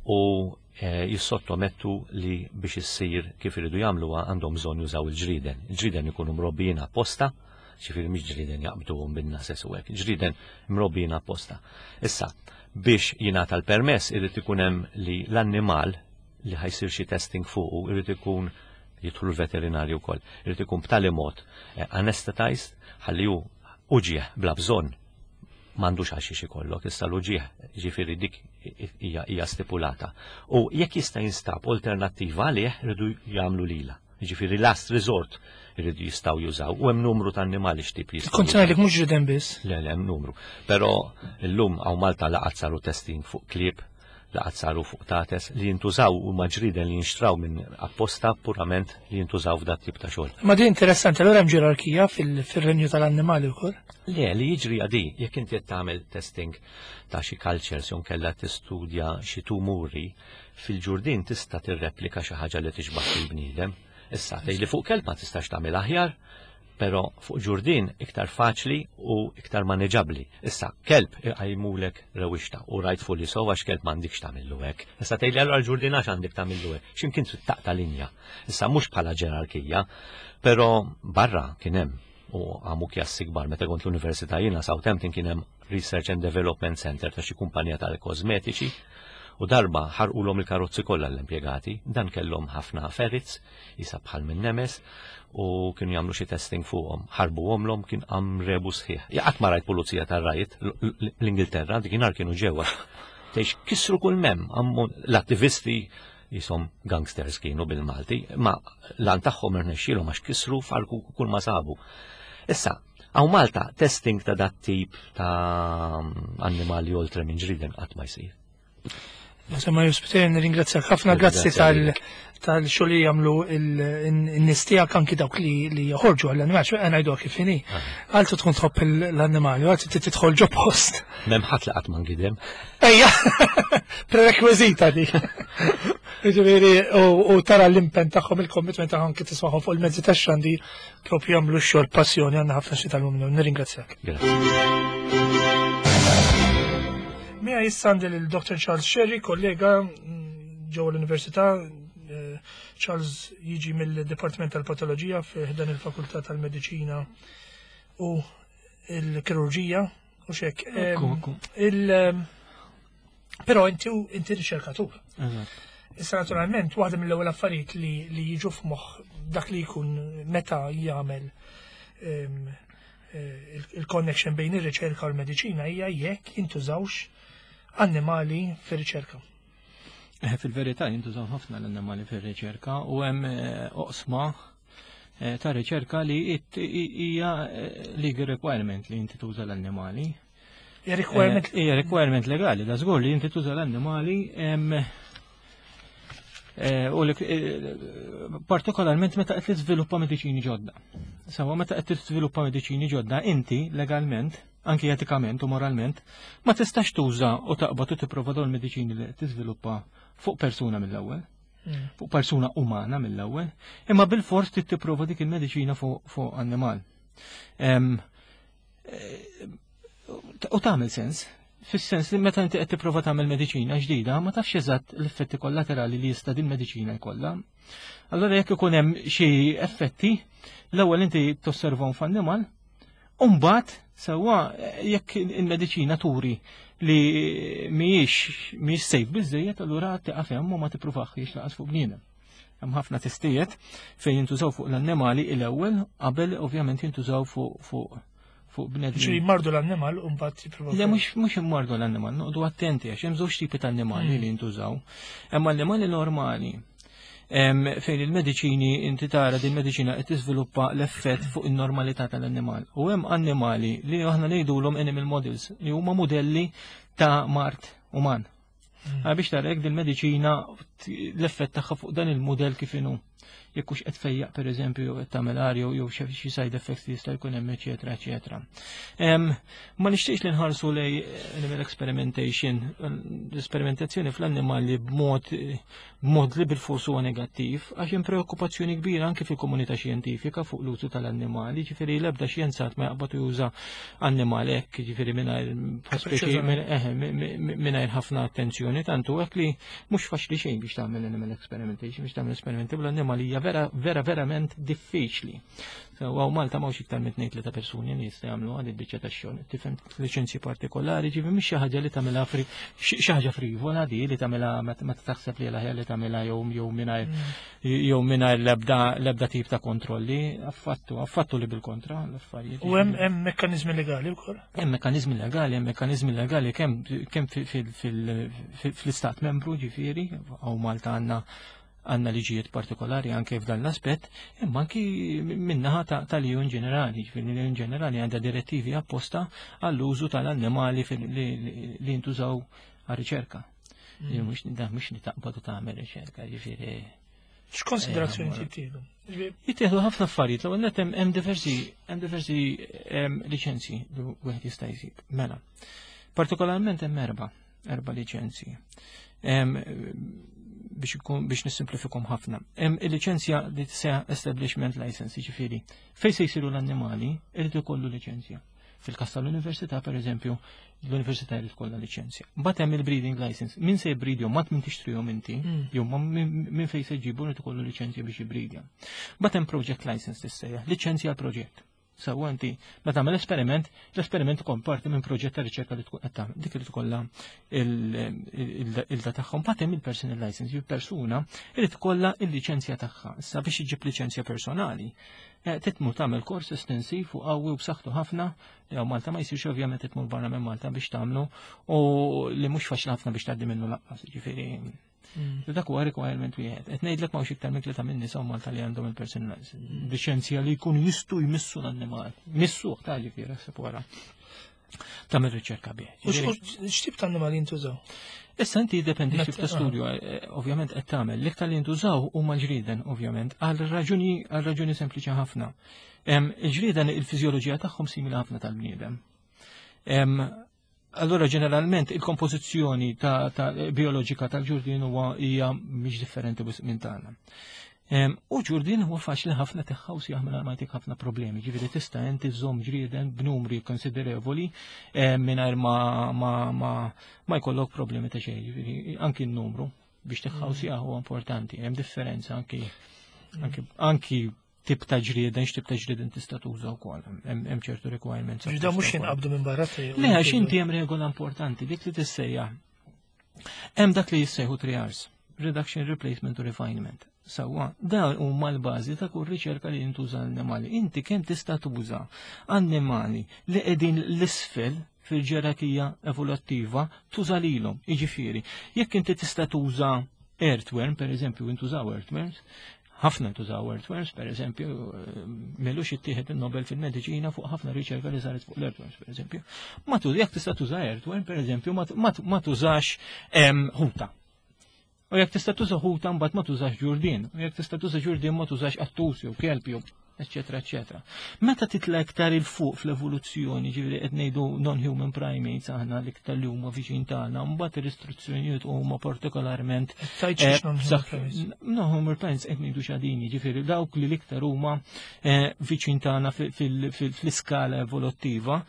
u eh, jissottomettu li biex issir kif iridu jagħmluha għandhom bżonn jużaw il-ġriden. Il-ġriden ikunu mrobbijin apposta, ġifieri mhix ġriden jaqbduhom bin-nases u hekk, ġriden mrobbijin apposta. Issa, biex jingħata l-permess irid ikun hemm li l-annimal li ħa jsir xi testing fuqu irid ikun jidħlu l-veterinarju wkoll. Irid ikun b'tali mod eh, anesthetized ħalli hu uġieħ bla bżonn m'għandux għal xiex ikollok, issa l-uġieħ ġifieri dik hija hija stipulata. U jekk jista' jinstab alternattiva għalih iridu jagħmlu lila. Ġifieri last resort iridu jistgħu jużaw u hemm numru ta' annimali x'tip jistgħu. Kont ngħidlek mhux ġriden biss. Le, le, hemm numru. Però llum hawn Malta laqat saru testing fuq klieb, laqat saru fuq qtates li jintużaw u ġrieden li jinxtraw minn apposta purament li jintużaw f'dat tip ta' xogħol. Ma din interessanti, allura hemm ġerarkija fil-renju tal-annimali wkoll. Le, li jiġri għadi, jekk inti qed tagħmel testing ta' xi cultures jew kellha tistudja xi tumuri, fil-ġurdin tista' tirreplika xi ħaġa li tixbaħ fil-bniedem. Issa tgħid li fuq kelb ma tistax tagħmel aħjar, però fuq ġurdin iktar faċli u iktar maneġabli. Issa, kelb iqajmulek rewixta u rightfully so għax kelb m'għandikx tagħmillu hekk. Issa tgħidli allura l-ġurdin għax għandek tagħmillu hekk. X'imkien trid taqta' linja. Issa mhux bħala ġerarkija, però barra kien hemm u għamu kjassi kbar meta kont l-università jiena Southampton kien hemm Research and Development Center ta' xi kumpanija tal-kosmetiċi u darba ħarqulhom il-karozzi kollha l-impjegati, dan kellhom ħafna ferrets, jisa bħal minn nemes, u kienu jagħmlu xi testing fuqhom. Ħarbu għomlhom kien qam rebu sħiħ. Qatt ma rajt pulizija tar-riot l-Ingilterra, dik kienu ġewwa. Tgħix kisru kull mem, l-attivisti jisom gangsters kienu bil-Malti, ma lan tagħhom irnexxielhom għax kisru farku kull ma sabu. Issa, hawn Malta testing ta' dat tip ta' annimali oltre minn ġriden qatt ma jsir. Insomma, Juspiter, nirringrazzjak ħafna, grazzi tal-xogħol li jagħmlu n-nies tiegħek anki dawk li joħorġu għall-annimali, xo għana jdu kif inhi. Għaltu tkun tħobb l-annimali, għaltu tidħol ġo post. M'hemm ħadd li qatt ma ngidem. Ejja, prerekwizita di. Ġifieri, u tara l-impen tagħhom, il-commitment tagħhom kif tismagħhom fuq il-mezzi tax-xandir propju jagħmlu x-xogħol passjoni għandna ħafna xi tal Nirringrazzjak. Grazie. Mija jissandi l-Dottor Charles Scerri, kollega mm, ġewwa l-Università. Eh, Charles jiġi mill-Dipartiment tal-Patoloġija f'dan il-Fakultà tal-Mediċina u l-Kirurġija u xek. Il Però inti inti riċerkatur. Issa naturalment waħda mill-ewwel affarijiet li, li jiġu f'moħħ dak li jkun meta jagħmel eh, il-connection bejn ir-riċerka u l-mediċina hija jekk jintużawx annimali fir-riċerka. Eh, fil-verità jintużaw ħafna l-annimali fir-riċerka u hemm eh, oqsma eh, ta' riċerka li hija legal requirement li inti tuża l-annimali. Hija requirement Hija requirement legali, da żgur li inti tuża l-annimali u partikolarment meta qed tiżviluppa mediċini ġodda. Sawa meta qed tiżviluppa mediċini ġodda inti legalment anki etikament u moralment, ma tistax tuża u taqbad u tipprova dawn il-mediċini li tiżviluppa fuq persuna mill-ewwel, mm. fuq persuna umana mill-ewwel, imma bil-fors trid tipprova dik il-mediċina fuq annimal. U tagħmel sens. Fis-sens li meta inti qed tipprova tagħmel mediċina ġdida, ma tafx eżatt l-effetti kollaterali li jista' din mediċina jkollha. Allora jekk ikun hemm xi effetti, l-ewwel inti tosservahom f'annimal, u mbagħad sewwa jekk il-mediċina turi li mhijiex mhijiex safe biżejjed, allura tieqaf hemm u ma tippruvax lanqas fuq bniedem. Hemm ħafna testijiet fejn jintużaw fuq l-annimali l-ewwel qabel ovvjament jintużaw fuq fuq fuq bnedmin. Ġifieri jmardu l-annimal u mbagħad jippruvaw. Le, mhux mhux immardu l-annimal, noqogħdu attenti għax hemm żewġ tipi ta' annimali li jintużaw. Hemm annimali normali fejn il-mediċini inti tara din mediċina qed tiżviluppa l-effett fuq in-normalità tal-annimal. U hemm annimali li aħna ngħidulhom animal models, li huma modelli ta' mard uman. Mm. Biex tara jekk din mediċina l-effett tagħha fuq dan il-modell kif inhu, jekk hux qed tfejjaq, pereżempju, jew qed tagħmel jew jew xi side effects li jista' jkun hemm, eċetera, eċetera. Ma nixtieqx li nħarsu lej animal experimentation, l-esperimentazzjoni fl-annimali b'mod b'mod li bil-fors huwa negattiv, għax hemm preokkupazzjoni kbira anke fil-komunità xjentifika fuq l-użu tal-annimali, ġifieri l-ebda xjenzat ma jaqbad juża annimal hekk, ġifieri mingħajr mingħajr ħafna attenzjoni, tantu hekk li mhux faċli xejn biex tagħmel animal experimentation, biex tagħmel esperimenti bl-annimali hija vera vera verament diffiċli. Għaw Malta m'hawnx iktar minn tnejn tlieta persuni li jista' jagħmlu għad il-biċċa tax-xogħol. Tifhem, liċenzji partikolari, ġifi mhix xi ħaġa li tagħmilha xi ħaġa frivola di li tagħmilha meta taħseb li l-aħjar li tagħmilha jew jew mingħajr mm. jew mingħajr l-ebda l-ebda tip ta' kontrolli, affattu, affattu li bil-kontra l-affarijiet. U hemm hemm mekkaniżmi legali wkoll? Hemm mekkaniżmi legali, hemm mekkaniżmi legali kemm kemm fl-istat membru, ġifieri, għaw Malta għandna għandna liġijiet partikolari anke f'dan l-aspett, imma anki min-naħa tal-E U in ġenerali, ġifieri l-E U in ġenerali għandha direttivi apposta għall-użu tal-annimali li jintużaw għar-riċerka. Mm. Mhux li taqbad u tagħmel riċerka, ġifieri. X'konsiderazzjoni jittieħdu? Jittieħdu ħafna affarijiet, l net hemm diversi hemm diversi liċenzji li wieħed jista' jsib. Mela. Partikolarment hemm erba' erba' liċenzji biex ikun biex nissimplifikom ħafna. Hemm il-liċenzja li tissejjaħ establishment license, ġifieri fejn se jsiru l-annimali irid ikollu liċenzja. Fil-każ tal-università, per eżempju, l-università jrid ikollha liċenzja. Mbagħad hemm il-breeding license. Min se jbridjhom, mat min tixtrihom inti, mm. jew minn fejn se jġibu irid ikollu liċenzja biex jibridja. Mbagħad hemm project license tissejjaħ, liċenzja għal proġett. Sewwa, inti meta tagħmel esperiment, l-esperiment ikun parti minn proġett ta' riċerka li tkun qed tagħmel. Dik li tkollha il-da tagħhom. Mbagħad hemm il-personal license, jew persuna irid ikollha il-liċenzja tagħha. Issa biex iġib liċenzja personali, eh, titmur tagħmel kors estensiv u qawwi u b'saħħtu ħafna li hawn Malta ma jsirx ovvjament, titmur barra minn Malta biex tagħmlu u li mhux faċli ħafna biex tgħaddi minnu lanqas, ġifieri Mm. Dak huwa requirement wieħed. Qed ngħidlek m'hawnx iktar minn tlieta minn nies Malta li għandhom il-personal liċenzja li jkunu jistgħu jmissu l-annimal. Missu ta' ġifieri ħseb wara tagħmel riċerka bih. X'tip ta' annimali jintużaw? Issa inti jiddependi x'tip ta' studju eh, ovvjament qed tagħmel. L-iktar li jintużaw huma l-ġrieden ovvjament għal raġuni għal raġuni sempliċi ħafna. Il-ġrieden il-fiżjoloġija tagħhom simili ħafna tal-bniedem. Allora ġeneralment il-kompożizzjoni ta', ta bioloġika tal-ġurdien huwa hija mhix differenti minn tagħna. U ġurdien huwa faċli ħafna teħħaws jaħmel ma jtik ħafna problemi, ġifieri tista' inti żomm ġrieden b'numri konsiderevoli mingħajr ma, ma, ma, ma jkollok problemi ta' xejn, ġifieri anki n-numru biex teħħaws mm. huwa importanti, hemm differenza anki anki, anki tip ta' ġrieden, x'tip ta' ġrieden tista' tuża wkoll. Hemm ċertu requirements. Ġda mhux jinqabdu minn barra. Le, għax inti hemm regola importanti dik li tissejjaħ. Hemm dak li jissejħu three R's: Reduction, Replacement u Refinement. Sewwa, dan huma l-bażi ta' kull riċerka li jintuża l-annimali. Inti kemm tista' tuża annimali li qegħdin l-isfel fil-ġerarkija evoluttiva tuża lilhom. Jiġifieri, jekk inti tista' tuża earthworm, per eżempju, intużaw earthworms, ħafna ntużaw earthworms, per eżempju, m'ilux ittieħed il-Nobel fil-mediċina fuq ħafna riċerka li saret fuq l-earthworms, per eżempju. Ma tu jekk tista' tuża earthworm, per eżempju, ma tużax ħuta. U jekk tista' tuża ħuta mbagħad ma tużax ġurdien. U jekk tista' tuża ġurdien ma tużax qattus jew kelb jew eccetera, eccetera. Meta titla iktar 'il fuq fl-evoluzzjoni, ġifieri qed ngħidu non-human primates aħna, l-iktar li huma viċin tagħna, mbagħad ir-restrizzjonijiet huma partikolarment Tajt non-human primates. Non-human primates qed ngħidu xadini, ġifieri dawk li l-iktar huma eh, viċin tagħna fl-iskala evoluttiva,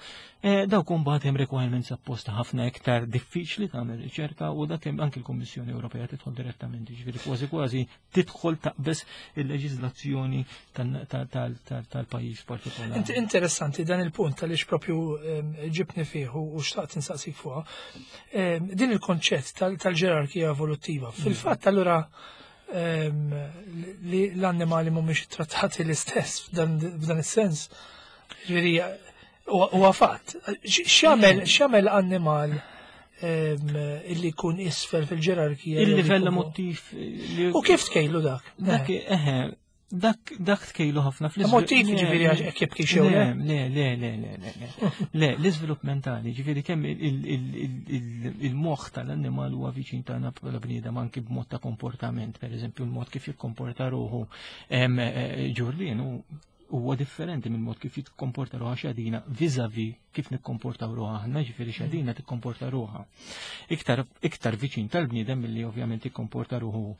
eh, dawk mbagħad hemm requirements apposta ħafna iktar diffiċli tagħmel riċerka u dak hemm anke l-Kummissjoni Ewropea tidħol direttament, ġifieri kważi kważi tidħol taqbeż il-leġiżlazzjoni tal-pajjiż partikolari. Interessanti dan il-punt għaliex propju ġibni fih u xtaqt insaqsik fuqha. Din il-konċett tal-ġerarkija evoluttiva. Fil-fatt allura li l-annimali mhumiex trattati l-istess f'dan is-sens. Ġifieri huwa fatt. X'jagħmel x'jagħmel annimal illi jkun isfel fil-ġerarkija? Il-livell emotiv. U kif tkejlu dak? Dak, eħe, dak dak tkejlu ħafna fl Emotiv, ġifieri għax hekk jibki xew. Le, le, le, le, le, le, le, l-iżvilupp mentali, ġifieri kemm il-moħħ tal-annimal huwa viċin tagħna bħala bniedem anki b'mod ta' komportament, per eżempju, il-mod kif jikkomporta ruħu ġurdien huwa differenti minn mod kif jikkomporta ruħha xadina vis-a-vis kif nikkomportaw ruħha aħna, ġifieri xadina tikkomporta ruħha iktar iktar viċin tal-bniedem milli ovvjament jikkomporta ruħu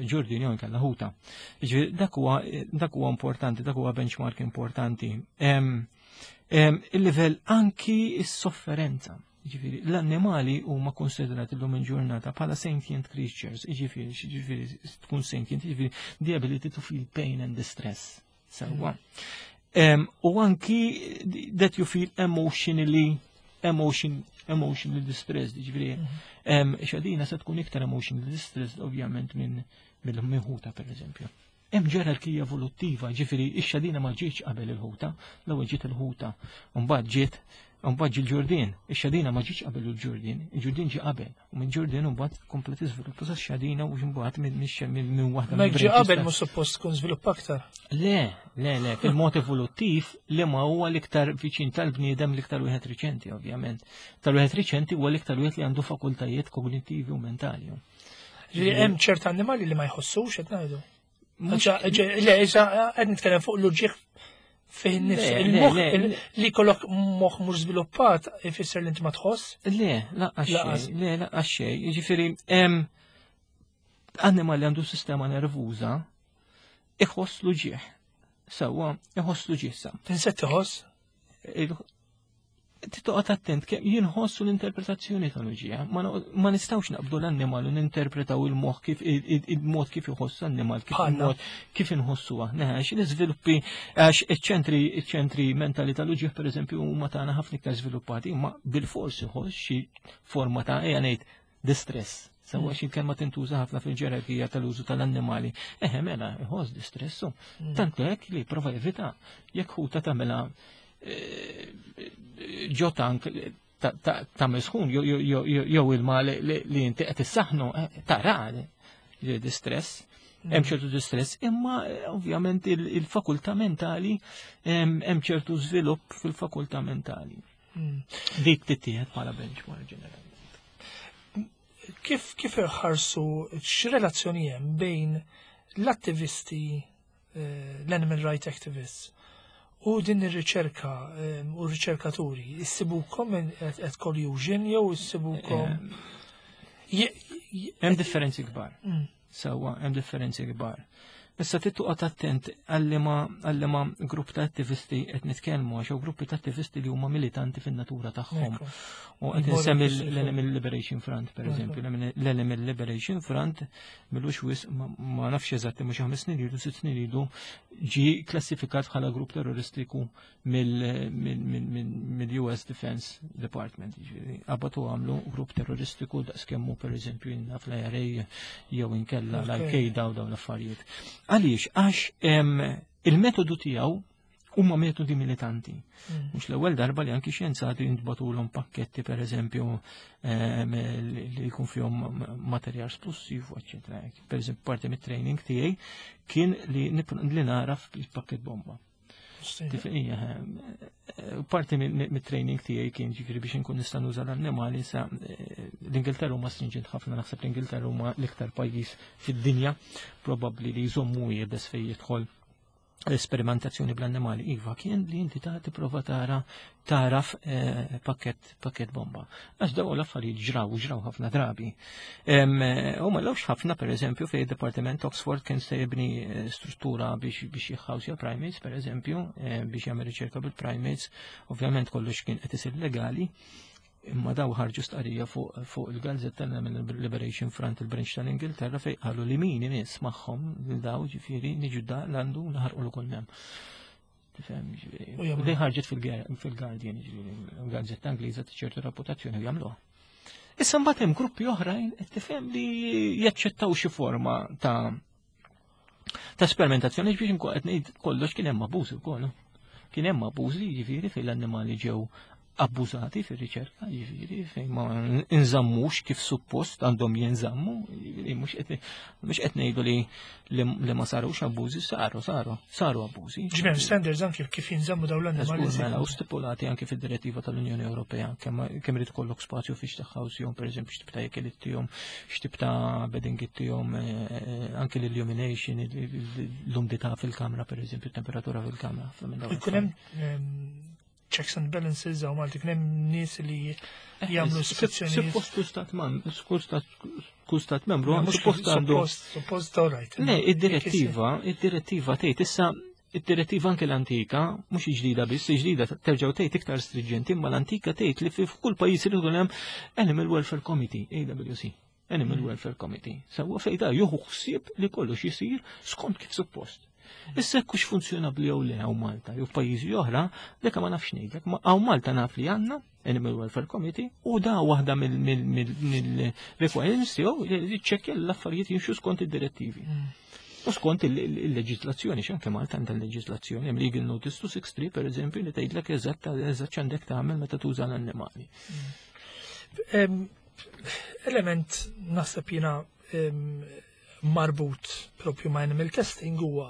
ġurdin jew inkella ħuta. Ġifieri dak huwa dak huwa importanti, dak huwa benchmark importanti. Il-livell anki s-sofferenza. Ġifieri, l-annimali huma konsiderati l-lum il-ġurnata bħala sentient creatures, ġifieri, ġifieri, tkun sentient, ġifieri, the ability to feel pain and distress. Sewwa. U anki that you feel emotionally, emotion, emotionally distressed, ġifieri, xadina se tkun iktar emotionally distressed ovvjament minn mill-ħuta, per eżempju. Hemm ġerarkija evoluttiva, ġifieri ix-xadina ma ġietx qabel il-ħuta, l-ewwel ġiet il-ħuta, u mbagħad ġiet mbagħad ġie l-ġurdien, ix-xadina ma ġietx qabel il-ġurdien, il-ġurdien ġie qabel, u minn ġurdien mbagħad komplet iżviluppa sa xadina u mbagħad minn waħda. Ma ġie qabel mhux suppost tkun żvilupp aktar. Le, le, le, fil-mod evoluttiv li ma huwa l-iktar viċin tal-bniedem, l-iktar wieħed riċenti, ovvjament. Tal-wieħed riċenti huwa l-iktar wieħed li għandu fakultajiet kognittivi u mentali. Ġifieri hemm ċert annimali li ma jħossux qed ngħidu. Le, issa qed nitkellem fuq l-uġigħ fih nifsu. Il-moħħ li kollok moħħ mhux żviluppat ifisser li inti ma tħoss? Le, lanqas le, lanqas xejn. Jiġifieri annimal li għandu sistema nervuża iħoss l-uġigħ. Sewwa, iħoss l-uġigħ sa. Insett iħoss? Titoqgħod attent kemm jinħossu l-interpretazzjoni tal-uġigħ. Ma nistgħux naqbdu l-annimal u ninterpretaw il-moħħ kif il-mod kif iħoss l-annimal, kif il-mod kif inħossu aħna. Għax l-iżviluppi, għax iċ-ċentri iċ-ċentri mentali tal-uġigħ, pereżempju, huma tagħna ħafna iktar żviluppati, imma bil-fors iħoss xi forma ta', ejja ngħid, distress. Sewwa, xi kelma tintuża ħafna fil-ġerarkija tal-użu tal-annimali. Eħe, mela, iħoss distressu. Tant hekk li prova jevita jekk ħuta tagħmilha ġo tank ta' misħun jew ilma li inti qed issaħnu, tara distress. Hemm ċertu distress, imma ovvjament il-fakultà mentali, hemm ċertu żvilupp fil-fakultà mentali. Dik tittieħed bħala benchmark ġenerali. Kif kif iħarsu, x'relazzjoni hemm bejn l-attivisti, l-animal right activists, u din ir-riċerka u r-riċerkaturi? Issibukom at collusion jew issibukom? Hemm differenzi kbar. Sewwa, hemm differenzi kbar. Issa trid toqgħod attent għal ma grupp ta' attivisti qed nitkellmu, għax gruppi ta' attivisti li huma militanti fin-natura tagħhom. U qed insemmi l-Animal Liberation Front, per eżempju, l-Animal Liberation Front m'ilux wisq, ma nafx eżatti, mhux ħames snin ilu, sitt snin ilu, ġi klassifikat bħala grupp terroristiku mill-U S Defense Department. Qabdu għamlu grupp terroristiku daqs kemmu per eżempju inna fl-I R A jew inkella l-Al-Qaeda u dawn l-affarijiet. Għaliex? Għax il-metodu tiegħu huma metodi militanti. Mm. Mhux l-ewwel darba li anki xjenzati jintbagħtulhom pakketti, per eżempju, li jkun fihom materjal splussiv, eċċetera. Per eżempju, parti mit-training tiegħi kien li li naraf il-pakket bomba. Parti mit-training tiegħi kien, ġifieri, biex inkun nista' nuża l-annimali sa l-Ingilterra huma stringent ħafna, naħseb l-Ingilterra huma l-iktar pajjiż fid-dinja probabbli li jżommu iebes fejn jidħol L-esperimentazzjoni bl-annimali, iva, kien li inti ta' tipprova tara taraf eh, pakket pakket bomba. Għax daw l-affarijiet ġraw, ġraw ħafna drabi. Eh, u ma lawx ħafna, per eżempju, fej Departiment Oxford kien se jibni eh, struttura biex biex jħawsja primates, per eżempju, biex jagħmel riċerka bil-primates, ovvjament kollox kien qed isir legali, imma daw ħarġu stqarrija fuq fu il-gazzetta Liberation Front, il-branch tal-Ingilterra, fej qalu li min imiss magħhom lil daw, ġifieri niġu da l-għandu naħarqu l kull mem. Tifhem, ġifieri. U di ħarġet fil-Guardian, ġifieri, gazzetta Ingliża ta' ċertu reputazzjoni, u jagħmluha. Issa mbagħad hemm gruppi oħrajn, qed tifhem, li jaċċettaw xi forma ta' ta' esperimentazzjoni biex nkun qed ngħid kollox kien hemm abbużi wkoll. Kien hemm abbużi, ġifieri, fejn l-annimali ġew abbużati fir-riċerka, ġifieri fejn ma nżammux kif suppost għandhom jinżammu, ġifieri mhux qed ngħidu li li ma sarux abbużi, saru, saru, saru abbużi. Ġifieri standards anki kif jinżammu dawn l-annimali. Mela, u stipulati anki fid-direttiva tal-Unjoni Ewropea, kemm irid ikollok spazju fiex taħħawsihom, pereżempju, x'tip ta' ikel ittihom, x'tip ta' bedding ittihom, eh, eh, anki l-illumination, l-umdità fil-kamra, pereżempju, temperatura fil-kamra. Ikun hemm checks and balances għaw Malti, kien hemm nies li eh, jagħmlu ispezzjoni. Suppost stat man, kull stat membru, suppost għandu. Suppost, all right. Le, id-direttiva, id-direttiva tgħid issa, id-direttiva anke l-antika, mhux ġdida biss, ġdida terġgħu tgħid iktar stringenti, imma l-antika tgħid li f'kull pajjiż irid hemm Animal Welfare Committee, A W C. Animal mm. Welfare Committee. Sewwa, fejn da juħu ħsieb li kollox jisir skont kif suppost. Issa kux funzjonabbli jew le hawn Malta jew f'pajjiżi oħra, dik ma nafx ngħidlek, ma hawn Malta naf li għandna Animal Welfare Committee u da waħda mill-requirements tiegħu li ċċekkja l-affarijiet jimxu skont id-direttivi. Mm. U skont il-leġislazzjoni, x'anke Malta għandha l-leġislazzjoni, hemm Legal Notice two sixty-three, per eżempju, li tgħidlek eżatt eżatt x'għandek tagħmel meta tuża l-annimali. Mm. Element naħseb jiena marbut propju ma' animal testing huwa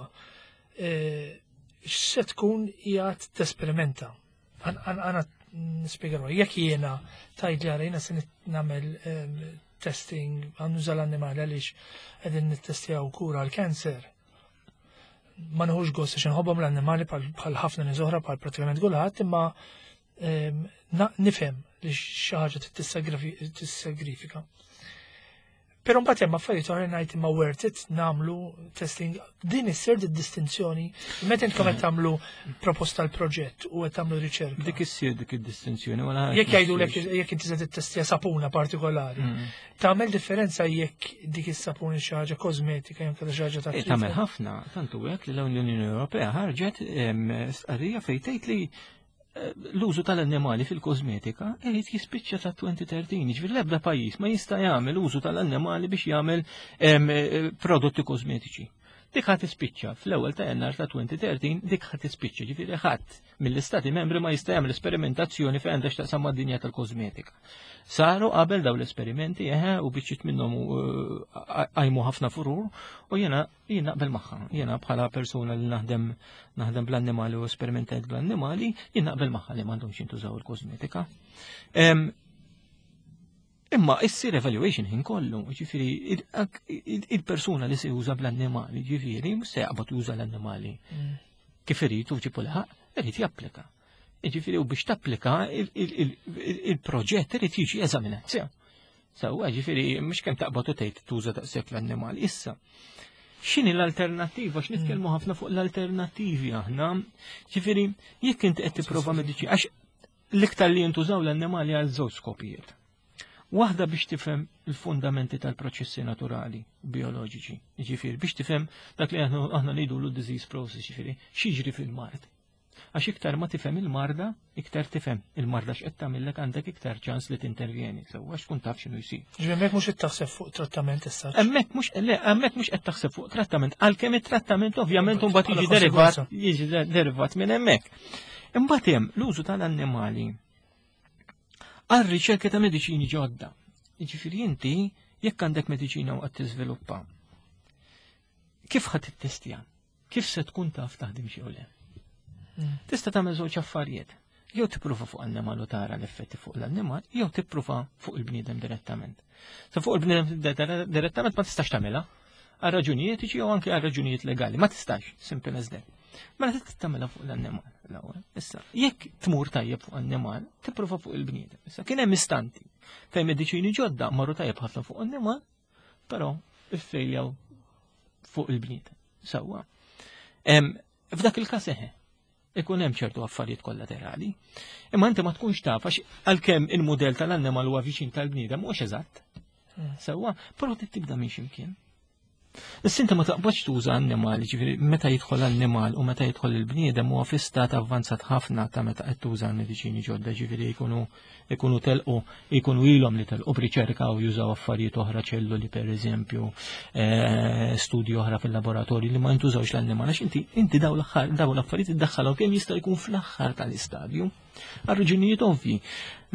eh, x'se tkun qiegħed tesperimenta. Għana nispjegaw, jekk jiena tgħid li għara jiena se nagħmel testing, għan nuża l-annimali għaliex qegħdin nittestjaw kura għal-kanser. Ma nħux gost għax nħobbhom l-annimali bħal ħafna nies oħra, bħal pratikament kulħadd, imma nifhem li xi ħaġa tissagrifika. Pero mbagħad hemm affarijiet oħra ngħid imma worth it nagħmlu testing? Din issir distinzjoni meta intkom qed tagħmlu proposta l proġett u qed tagħmlu riċerka? Dik issir dik id-distinzjoni wala. Jekk jgħidulek jekk inti se tittestja sapuna partikolari, mm. tagħmel differenza jekk dik is-sapuna xi ħaġa kosmetika jew xi ħaġa ta' eh, Tagħmel ħafna, tantu hekk li l-Unjoni Ewropea ħarġet stqarrija fejn tgħid li l-użu tal-annimali fil-kosmetika irid jispiċċa ta' elfejn u tlettax, ġifieri l-ebda pajjiż ma jista' jagħmel użu tal-annimali biex jagħmel eh, prodotti kosmetiċi. Dik ħadd tispiċċa fl-ewwel ta' Jannar ta' elfejn u tlettax, dik ħadd tispiċċa, ġifieri ħadd mill-istati membri ma jista' jagħmel esperimentazzjoni fejn għandha x'taqsam mad-dinja tal-kosmetika. Saru qabel daw l-esperimenti, eħe, u biċċiet minnhom eh, għajmu ħafna furur u jiena jien naqbel magħha. Jiena bħala persuna li naħdem naħdem bl-annimali u esperimentajt bl-annimali, jien naqbel magħha li m'għandhomx jintużaw il-kosmetika. Imma issir evaluation ħin kollu, ġifieri il-persuna li se juża bl-annimali, ġifieri mhux se jaqbad juża l-annimali mm. kif irid u ġibu laħaq, irid japplika. Ġifieri u biex tapplika, il-proġett irid jiġi eżaminat. Sewwa, ġifieri mhux kemm taqbad u tgħid tuża daqshekk l-annimali. Issa, x'inhi l-alternattiva? X'nitkellmu ħafna fuq l-alternattivi aħna. Ġifieri, jekk inti qed tipprova mediċi, għax l-iktar li jintużaw l-annimali għal żewġ skopijiet. Waħda biex tifhem il-fundamenti tal-proċessi naturali, bioloġiċi, ġifieri biex tifhem dak li aħna ngħidu l disease process, ġifieri x'jiġri fil-mard. Għax iktar ma tifhem il-marda, iktar tifhem il-marda x'qed tagħmellek, għandek iktar ċans li tintervjeni, sewwa, għax tkun taf x'inhu jsir. Ġifieri hemmhekk mhux qed taħseb fuq trattament issa. Hemmhekk mhux, le, hemmhekk mhux qed taħseb fuq trattament, għalkemm it-trattament ovvjament imbagħad jiġi derivat jiġi derivat minn hemmhekk. Imbagħad hemm l-użu tal-annimali għal riċerka ta' mediċini ġodda. Jiġifieri inti jekk għandek mediċina u qed tiżviluppa, kif ħadd tittestja? Kif se tkun taf taħdem xi le? Mm. Tista' tagħmel żewġ affarijiet. Jew tippruva fuq annimal u tara l-effetti fuq l-annimal, jew tippruva fuq il-bniedem direttament. Sa fuq il-bniedem direttament ma tistax tagħmilha għal raġunijiet etiċi jew anke għal raġunijiet legali. Ma tistax, simple as that. Mela trid tagħmilha fuq l-annimal l-ewwel. Issa, jekk tmur tajjeb fuq annimal, tipprova fuq il-bniedem. Issa kien hemm istanti fejn mediċini ġodda marru tajjeb ħafna fuq annimal, però iffejljaw fuq il-bniedem. Sewwa. F'dak il-każ eħe, ikun hemm ċertu affarijiet kollaterali. Imma inti ma tkunx taf għax għalkemm il-mudell tal-annimal huwa viċin tal-bniedem mhux eżatt. Hmm. Sewwa, però tibda minn x'imkien. Issa inti ma taqbadx tuża annimali, ġifieri meta jidħol annimal u meta jidħol il-bniedem huwa fi stat avvanzat ħafna ta' meta qed tuża l-mediċini ġodda, ġifieri jkunu jkunu telqu jkunu ilhom li telqu b'riċerka u jużaw affarijiet oħra ċelluli pereżempju, eh, studji oħra fil-laboratorju li ma jintużawx l-annimal għax inti inti daw l-affarijiet iddaħħalhom kemm jista' jkun fl-aħħar tal-istadju. Għal raġunijiet ovvji.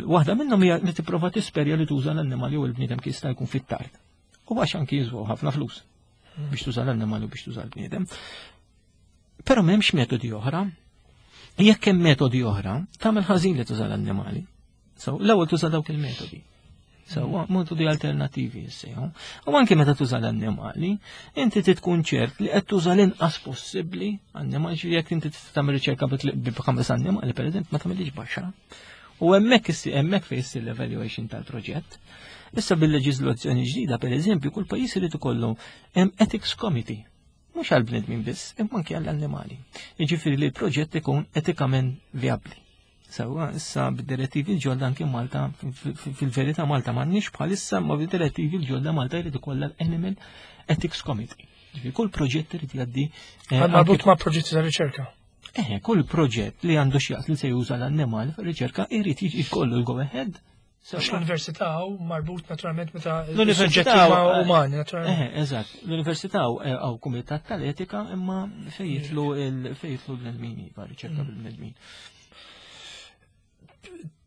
Waħda minnhom hija li tipprova tisperja li tuża l-annimal jew il-bniedem kif jista' jkun fit-tard. U għax anki jiżwaw ħafna flus biex tuża l-annimal u biex tuża l-bniedem. Però m'hemmx metodi oħra. Jekk hemm metodi oħra, tagħmel ħażin li tuża l-annimali. So, l-ewwel tuża dawk il-metodi. So, metodi alternativi jissejħu. U anke meta tuża l-annimali, inti tkun ċert li qed tuża l-inqas possibbli annimali, jekk inti tagħmel riċerka b'ħames annimali, pereżempju, ma tagħmilx b'għaxra. U hemmhekk hemmhekk fejn issir l-evaluation tal-proġett. Issa bil-leġiżlazzjoni ġdida, per eżempju, kull pajjiż irid ikollu hemm ethics committee. Mhux għal bnedmin biss, imma anke għall-annimali. Jiġifieri li l-proġett ikun etikament vijabbli. Sewwa, issa bid-direttivi l-ġodda anke Malta, fil-verità Malta m'għandniex bħalissa, ma bid-direttivi l-ġodda Malta jrid ikollha l-Animal Ethics Committee. Ġifieri kull proġett irid jgħaddi. Eh, marbut ma' proġetti ta' riċerka. Eh, kull proġett li għandu x'jaqs li se juża l-annimal fir-riċerka irid jkollu l-go ahead. Għax l-università u marbut naturalment meta l-suġġetti ma' umani, naturalment. Eh, eżatt. L-università għaw kumitat tal-etika imma fejn jidħlu fejn jidħlu l-bnedmin, iva, riċerka mm. bil-bnedmin.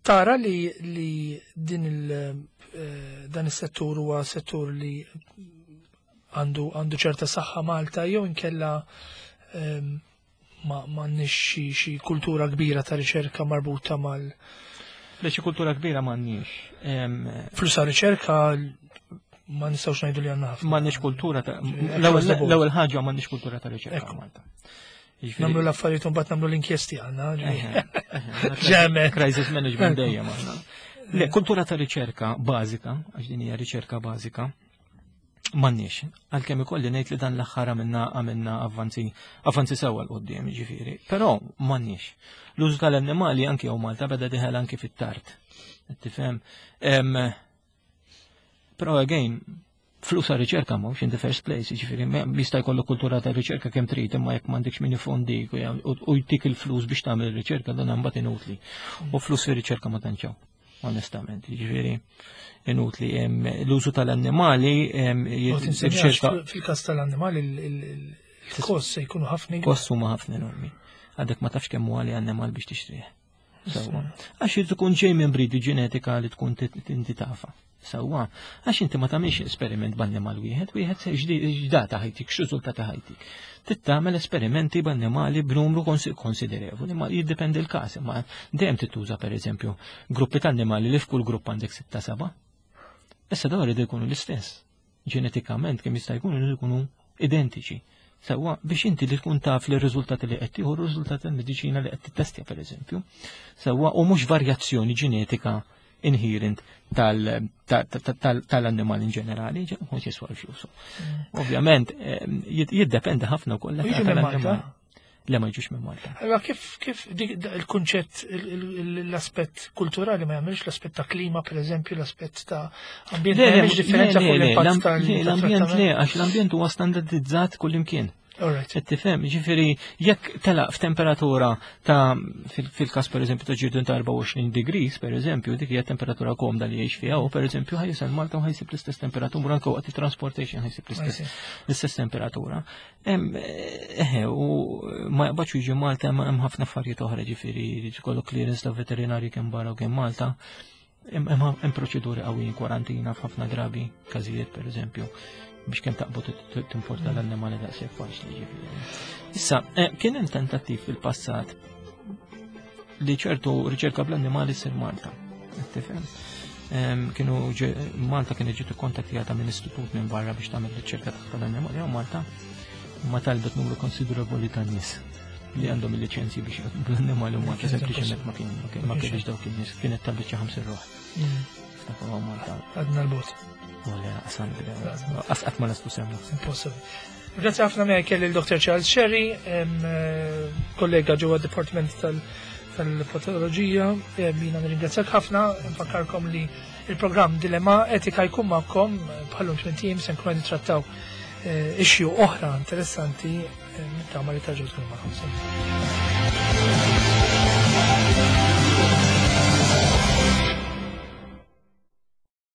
Tara li li din il eh, dan is-settur huwa settur li għandu għandu ċerta saħħa Malta jew inkella ehm, ma m'għandniex xi kultura kbira ta' riċerka marbuta mal Le xi kultura kbira m'għandniex. Flus riċerka ma nistgħux ngħidu li għandna ħafna. M'għandniex kultura ta' l-ewwel ħaġa m'għandniex kultura ta' riċerka Malta. Nagħmlu l-affarijiet u mbagħad nagħmlu l-inkjesti għandna. Ġeme. Crisis management dejjem aħna. Le, kultura ta' riċerka bażika, għax din hija riċerka bażika, m'għandniex. Għalkemm ikolli ngħid li dan l-aħħar għamilna għamilna avvanzi avvanzi sewwa 'l quddiem ġifieri, però m'għandniex. L-użu tal-annimali anki hawn Malta beda dieħel anki fit-tard. Tifhem? Però again, flus għal riċerka mhux in the first place, ġifieri jista' jkollu kultura ta' riċerka kemm trid, imma jekk m'għandekx min ifondik u jtik il-flus biex tagħmel ir-riċerka dan imbagħad inutli. U flus fir-riċerka ma tantx onestament, ġifieri inutli. L-użu tal-annimali Fil-każ tal-annimali il-kost se jkunu ħafna. Kost huma ħafna enormi. Għadek ma tafx kemm huwa li annimal biex tixtrih. Sewwa. Għax irid ikun ġej minn breed ġenetika li tkun inti tafa. Sewwa, għax inti ma tagħmilx esperiment b'annimal wieħed, wieħed se x'data ħa jtik, x'riżultati ħa jtik. Tagħmel esperimenti b'annimali b'numru konsiderevoli, ma jiddependi l-każ, imma dejjem tituża pereżempju gruppi ta' annimali li f'kull grupp għandek sitta seba'. Issa dawn iridu jkunu l-istess. Ġenetikament kemm jista' jkunu jridu jkunu identiċi. Sewwa biex inti li tkun taf li r-riżultati li qed tieħu r-riżultati tal-mediċina li qed tittestja pereżempju. Sewwa u mhux varjazzjoni ġenetika inherent tal-annimal in ġenerali, mhux jiswa l-flus. Mm. Ovvjament, jiddependi ħafna wkoll tal-annimal. Le ma jiġux minn Malta. Allora kif kif il-kunċett l-aspett kulturali ma jagħmilx l-aspett ta' klima pereżempju, l-aspett ta' ambjent ma jagħmilx differenza fuq l-impatt tal L-ambjent le, għax l-ambjent huwa standardizzat kullimkien. Qed tifhem, ġifieri jekk telaq f'temperatura ta' fil-każ pereżempju ta' ġirdun ta' erbgħa u għoxrin degrees pereżempju, dik hija temperatura komda li jgħix fiha u pereżempju ħa jasal Malta u ħa jsib l-istess temperatura anke waqt transportation ħa jsib l-istess temperatura. Eħe, u ma jaqbadx jiġi Malta hemm ħafna affarijiet oħra ġifieri jkollu clearance ta' veterinarji kemm barra u kemm Malta. Hemm proċeduri qawwijin kwarantina f'ħafna drabi, każijiet pereżempju biex kemm taqbad timporta l-annimali daqshekk faċli ġifieri. Issa, eh, kien hemm tentattiv fil-passat li ċertu riċerka bl-annimali ssir Malta. Tifhem? Kienu Malta kien ġiet ikkontattjata minn istitut minn barra biex tagħmel riċerka tal-annimali hawn Malta ma talbet numru konsiderevoli ta' nies. li għandhom il-liċenzji biex jaħdmu l-annimali u Malta sempliċement ma kien ma kienx dawk in-nies, kienet tal-biċċa ħamsin ruħ. Ftakar Malta. Għadna l-bot. Wala qasam qasqat ma nastu semna. Impossible. Grazie ħafna miegħi kelli l-Dottor Charles Scerri, eh, kollega ġewwa Department tal- tal-Patoloġija. Jiena nirringrazzjak ħafna, nfakkarkom li il-programm Dilemma Etika jkun magħkom bħallum tmien ijiem, se nkunu nittrattaw eh, issue oħra interessanti, nittama li terġgħu tkunu magħkom.